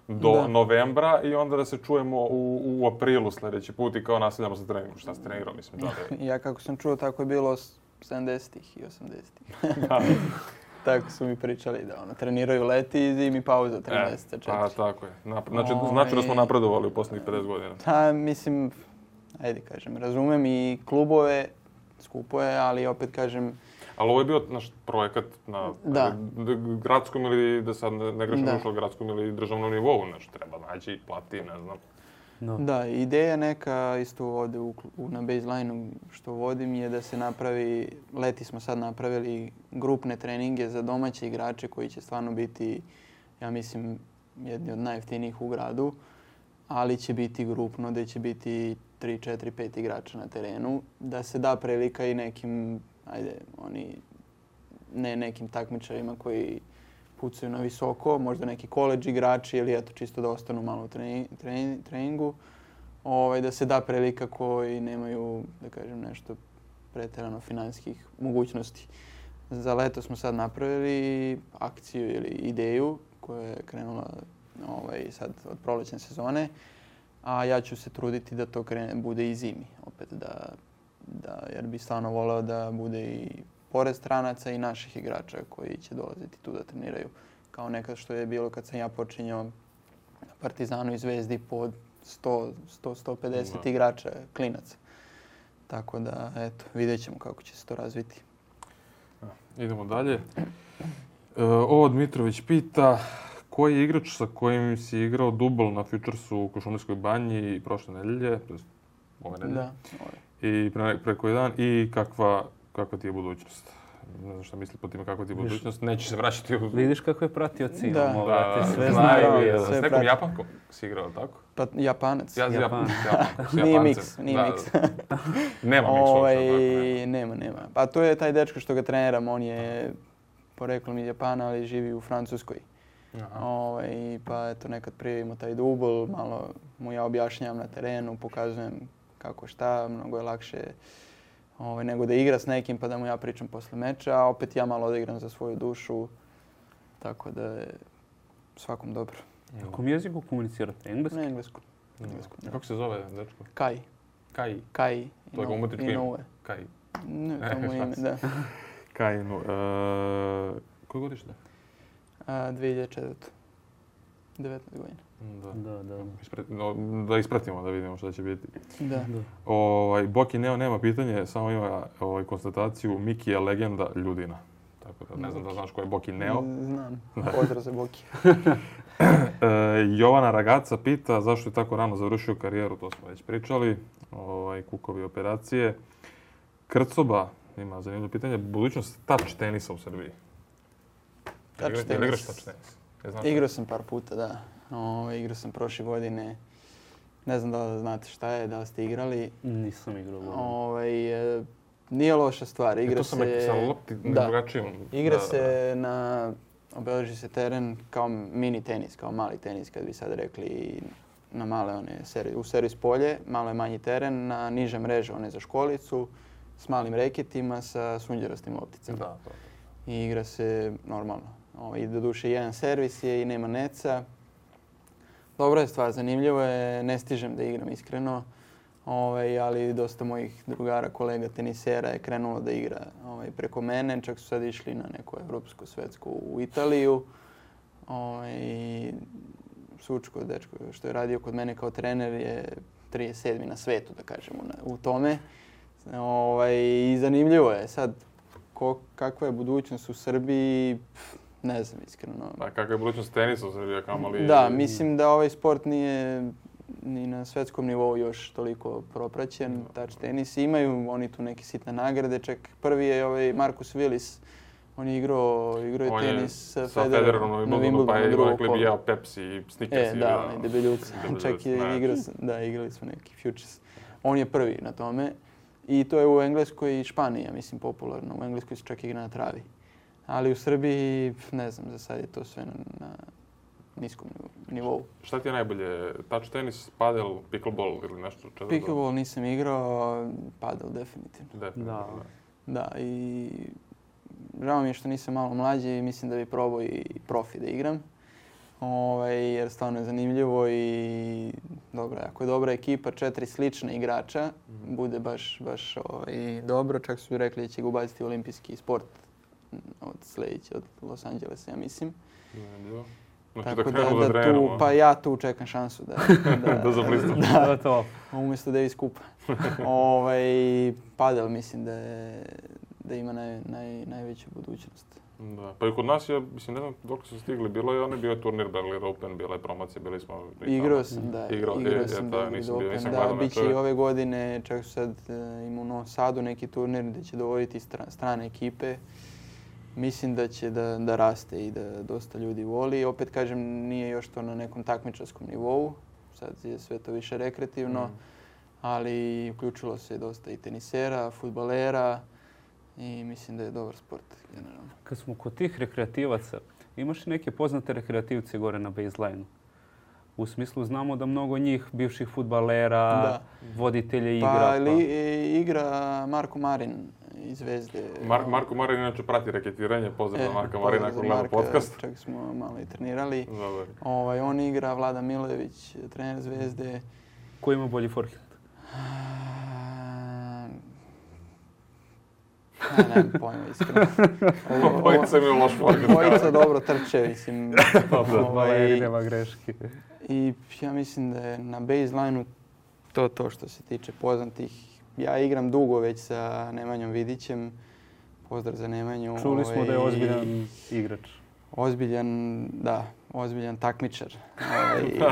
do novembra i onda da se čujemo u aprilu sljedeći put i kao nastavljamo sa treningom. Šta se trenirao, mislim. Ja kako sam čuo, tako je bilo 70-ih i 80-ih. Tako su mi pričali da treniraju leti i zimi pauza 3 mjeseca, 4. Pa tako je. Znači da smo napredovali u posljednjih 50 godina. Mislim, ajde kažem, razumem i klubove, skupo je, ali opet kažem... Ali ovo je bio naš projekat na gradskom ili, da sad ne grešim ušao, gradskom ili državnom nivou, nešto treba naći, plati, ne znam. No. Da, ideja neka isto ovdje na baseline-u što vodim je da se napravi, leti smo sad napravili grupne treninge za domaće igrače koji će stvarno biti, ja mislim, jedni od najjeftinijih u gradu, ali će biti grupno, gdje će biti 3, 4, 5 igrača na terenu, da se da prilika i nekim, ne nekim takmičarima koji pucaju na visoko, možda neki koledž igrači ili eto čisto da ostanu malo u treningu, da se da prilika koji nemaju, da kažem, nešto pretjerano financijskih mogućnosti. Za leto smo sad napravili akciju ili ideju koja je krenula sad od prolećne sezone, a ja ću se truditi da to bude i zimi, opet jer bi stvarno voleo da bude i pored stranaca i naših igrača koji će dolaziti tu da treniraju. Kao nekad što je bilo kad sam ja počinjao na Partizanu i Zvezdi po 100-150 igrača, klinaca. Tako da, eto, vidjet ćemo kako će se to razviti. Idemo dalje. Ovo Dmitrović pita koji je igrač sa kojim si igrao dubl na Futuresu u Košumlijskoj banji prošle nedelje, tj. ove nedelje. Da. I pre koji dan i kakva ti je budućnost? Ne znam šta misli po time kakva ti je budućnost. Neće se vraćati u... Vidiš kako je pratioci imamo. Da, sve znaju. S nekom Japankom si igrao, tako? Pa Japanac. Japanac. Nije miks. Nema miks. Nema. Pa to je taj dečko što ga treniram. On je poreklom iz Japana, ali živi u Francuskoj. Pa eto, nekad prijavimo taj dubl, malo mu ja objašnjavam na terenu, pokazujem kako šta, mnogo je lakše nego da igra s nekim pa da mu ja pričam posle meča, a opet ja malo odigram za svoju dušu, tako da je svakom dobro. Na kom jeziku komunicirate? Engleski? Na engleskom. Kako se zove dečko? Kai. Kai. To je ga umetičko ime? Kai. Ne, to mu ime, da. Kai. Koje godište? 2004. 19 godina. Da ispratimo, da vidimo šta će biti. Da. Boki Neo nema pitanje, samo ima konstataciju Miki je legenda Ljudina. Tako tako da ne znam da znaš ko je Boki Neo. Znam, pozdrav za Boki. Jovana Ragaca pita zašto je tako rano završio karijeru, to smo već pričali, kukovi operacije. Krcoba ima zanimljivo pitanje, budućnost touch tenisa u Srbiji. Touch Jel igraš touch tenis? Igrao sam par puta, da. Igrao sam prošle godine. Ne znam da li znate šta je, da li ste igrali. Nisam igrao. Nije loša stvar. To sam rekao sa lopti drugačijom. Igra se obeleži se teren kao mini tenis, kao mali tenis, kad bi sad rekli na male u servis polje. Malo je manji teren, na niže mreže, one za školicu, s malim reketima, sa sunđerastim lopticama. Da. I igra se normalno. I doduše jedan servis je i nema neca. Dobra je stvar, zanimljivo je, ne stižem da igram iskreno, ali dosta mojih drugara, kolega tenisera je krenulo da igra preko mene, čak su sad išli na neko evropsko, svetsko u Italiju. Sučko, dečko, što je radio kod mene kao trener, je 37. na svetu, da kažemo, u tome. I zanimljivo je sad kakva je budućnost u Srbiji. Ne znam, iskreno. A kakva je budućnost tenisa u Srbiji, kamali? Da, mislim da ovaj sport nije ni na svetskom nivou još toliko propraćen. Touch tenis. Imaju oni tu neke sitne nagrade. Čak prvi je Marcus Willis. On je igrao tenis sa Federerom na Wimbledonu. Pa je jeo Pepsi i Snickers. Da, i debeljuca. Čak je igrali smo neki Futures. On je prvi na tome. I to je u Engleskoj i Španiji, ja mislim, popularno. U Engleskoj se čak igra na travi. Ali u Srbiji, ne znam, za sad je to sve na niskom nivou. Šta ti je najbolje? Touch tenis, padel, pickleball ili nešto? Pickleball nisam igrao, padel definitivno. Da, i žao mi je što nisam malo mlađi i mislim da bi probao i profi da igram. Jer stvarno je zanimljivo i ako je dobra ekipa, 4 slična igrača, bude baš dobro. Čak su rekli da će ga ubaciti u olimpijski sport od Los Angelesa, ja mislim. Tako da ja tu čekam šansu da zablistaš. Umjesto Davis Cupa. Padel mislim da ima najveću budućnost. Da, pa i kod nas je, mislim, ne znam dok su stigli, bio je turnir Berlin Open, bila je promocija, bili smo... Igrao sam Berlin Open, da, bit će i ove godine, čak su sad ima u Novom Sadu neki turnir gdje će dovoditi strane ekipe. Mislim da će da raste i da dosta ljudi voli. Opet kažem, nije još to na nekom takmičarskom nivou, sad je sve to više rekreativno, ali uključilo se dosta i tenisera, fudbalera. I mislim da je dobar sport generalno. Kad smo kod tih rekreativaca, imaš li neke poznate rekreativce gore na baseline-u? U smislu znamo da mnogo njih, bivših fudbalera, voditelja igra. Igra Marko Marin iz Zvezde. Marko Marin inače prati reketiranje, pozdrav za Marka Marina ako gleda podcast. Čak smo malo i trenirali. On igra, Vlada Milojević, trener Zvezde. Ko ima bolji forehand? Nemam pojma, iskreno. Obojica imaju loš forehand. Obojica dobro trče, mislim. Nema greške. I ja mislim da je na baseline-u to što se tiče poznatih. Ja igram dugo već sa Nemanjom Vidićem. Pozdrav za Nemanju. Čuli smo da je ozbiljan igrač. Ozbiljan takmičar.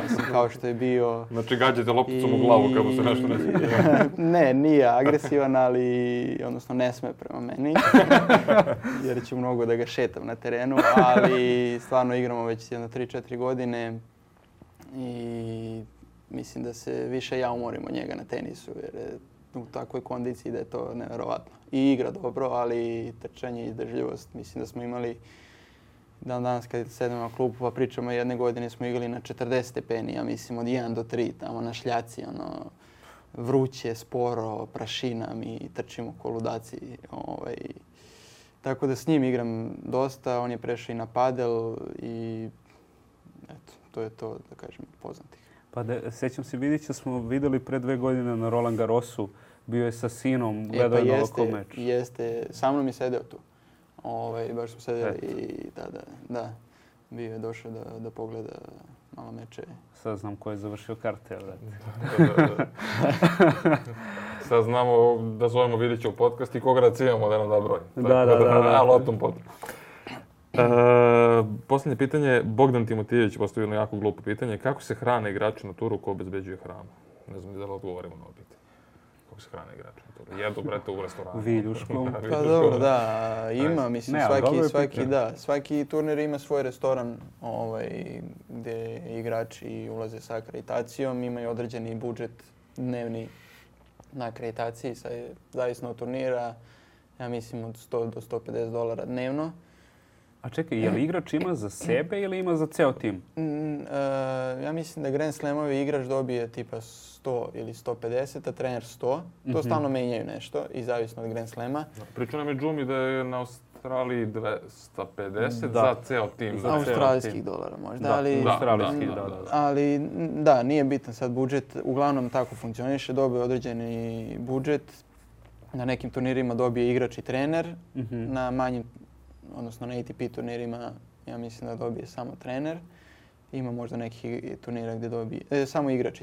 Mislim, kao što je bio... Znači gađate lopticom u glavu kad mu se nešto ne smije. Ne, nije agresivan, odnosno ne sme prema meni. Jer ću mnogo da ga šetam na terenu, ali stvarno igramo već jedno 3-4 godine i mislim da se više ja umorim od njega na tenisu jer je u takvoj kondiciji da je to nevjerovatno. I igra dobro, ali trčanje i izdržljivost. Mislim da smo imali danas kad sedemo na klubu pa pričamo, jedne godine smo igrali na 40 stepeni, ja mislim od 1 do 3, tamo na šljaci, vruće, sporo, prašina, mi trčimo ko ludaci. Tako da s njim igram dosta, on je prešao i na padel i eto, to je to, da kažem, poznatih. Pa sjećam se, Vidića smo vidjeli pre 2 godine na Roland Garrosu, bio je sa sinom, gledao je ovako meč. Jeste, sa mnom je sedeo tu. Baš smo sedeli i da, bio je došao da pogleda malo meče. Sad znam ko je završio karte, Sad znamo da zovemo Vidića u podcast i koga da civamo da nam da broj. Da. Ali o tom potom. Posljednje pitanje, Bogdan Timotijević postavio jako glupo pitanje. Kako se hrane igrači na turu, ko obezbeđuje hranu? Ne znam da li odgovorimo na ovo pitanje. Kako se hrane igrači na turu? Jedu, brete, u restoranu. Viljuškom. Pa dobro, da, ima, mislim, svaki turnir ima svoj restoran gdje igrači ulaze sa akreditacijom, imaju određeni budžet dnevni na akreditaciji, zavisno od turnira, ja mislim od $100 do $150 dnevno. A čekaj, je li igrač ima za sebe ili ima za ceo tim? Ja mislim da Grand Slamovi igrač dobije tipa 100 ili 150, a trener 100. To stalno menjaju nešto i zavisno od Grand Slama. Pričao nam je Džumi da je na Australiji 250 za ceo tim. Australijskih dolara možda. Australijskih, ali da, nije bitan sad budžet. Uglavnom tako funkcioniše, dobije određeni budžet. Na nekim turnirima dobije igrač i trener, na manjim, odnosno na ATP turnirima, ja mislim da dobije samo trener. Ima možda nekih turnira gdje dobije, samo igrač,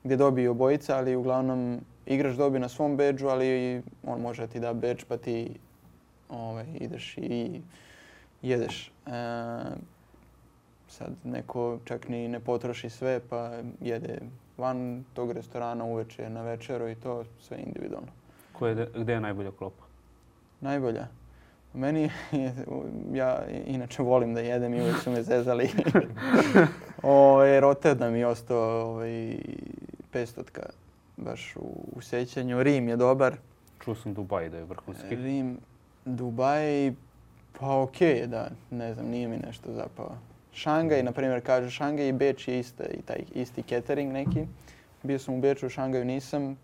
gdje dobije obojica, ali uglavnom igrač dobije na svom bedžu, ali on može ti da bedž pa ti ideš i jedeš. Sad neko čak ni ne potroši sve pa jede van tog restorana uveče na večeru i to sve individualno. Gdje je najbolja klopa? Najbolja? Meni, ja inače volim da jedem i uvijek su me zezali. Rotterdam mi je ostao 500 baš u sećanju. Rim je dobar. Čuo sam Dubaj da je vrhunski. Rim, Dubaj, pa okej, da, ne znam, nije mi nešto zapao. Šangaj, na primjer, kaže Šangaj i Beč je taj isti catering neki. Bio sam u Beču, u Šangaju nisam.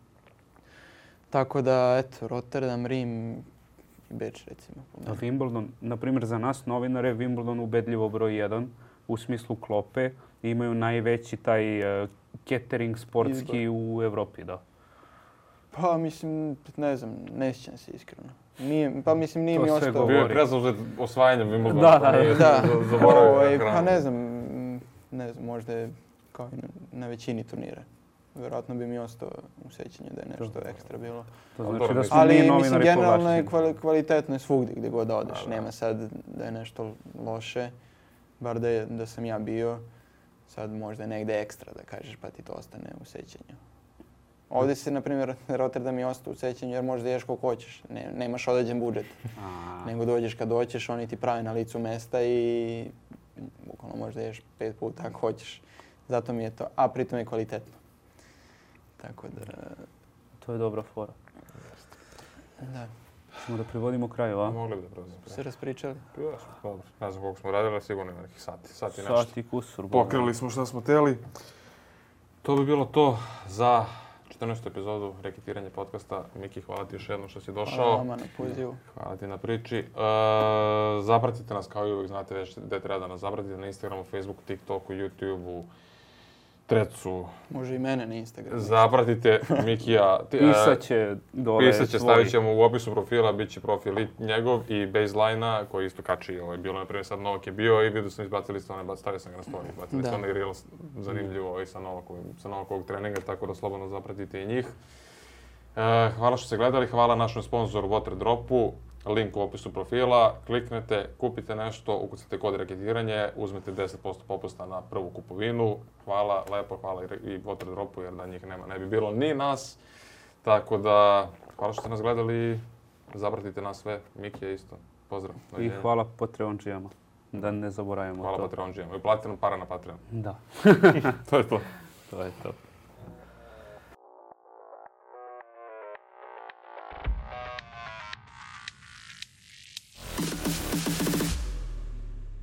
Tako da, eto, Rotterdam, Rim i Beč, recimo. A Wimbledon, na primjer, za nas novinare, Wimbledon ubedljivo broj 1 u smislu klope. Imaju najveći taj catering sportski u Evropi, da. Pa mislim, ne znam, ne sjećam se iskreno. Nije mi ostao. Bio je prezauzet osvajanjem Wimbledona. Da. Pa ne znam, možda je kao i na većini turnira. Vjerojatno bi mi ostao u sjećanju da je nešto ekstra bilo. To znači da smo ali mislim, generalno je kvalitetno svugdje gdje god odeš. Nema sad da je nešto loše, bar da sam ja bio. Sad možda je negdje ekstra da kažeš pa ti to ostane u sjećanju. Ovdje se, na primjer, Rotterdam je ostao u sjećanju jer možda ješ koliko hoćeš. Nemaš određen budžet. Nego dođeš kad doćeš, oni ti pravi na licu mesta i bukvalno možda ješ 5 puta ako hoćeš. Zato mi je to, a pritom je kvalitetno. Tako da... To je dobra fora. Da. Ćemo da privodimo kraju, a? Mogli bi da privodimo kraju. Se raspričali? Dobro. Ne znam koliko smo radili, sigurno ima nekih sati. Sati kusur. Pokrili smo šta smo htjeli. To bi bilo to za 14. epizodu Reketiranje podcasta. Miki, hvala ti još jednom što si došao. Hvala vama na pozivu. Hvala ti na priči. Zapratite nas kao i uvijek, znate već gdje treba da nas zapratite na Instagramu, Facebooku, TikToku, YouTubeu, Trecu. Može i mene na Instagramu. Zapratite Mikija. Pisaće dole. Stavit ćemo u opisu profila, bit će profil i njegov i Baseline-a koji isto kači. Bilo, na primjer, sad Novak je bio i vidio sam izbacili stvarno, stavio sam ga na story. Izbacili stvarno i reel zanimljivo i sa Novakovog treninga, tako da slobodno zapratite i njih. Hvala što ste gledali, hvala našem sponzoru Waterdropu. Link u opisu profila, kliknete, kupite nešto, ukucate kod reketiranje, uzmete 10% popusta na prvu kupovinu. Hvala, lepo, hvala i Waterdropu jer da njih nema, ne bi bilo ni nas. Tako da, hvala što ste nas gledali, zapratite nas sve, Miki je isto, pozdrav. I hvala Patreončijama, da ne zaboravimo to. Hvala Patreončijama i platite nam para na Patreon. Da. To je to. To je to.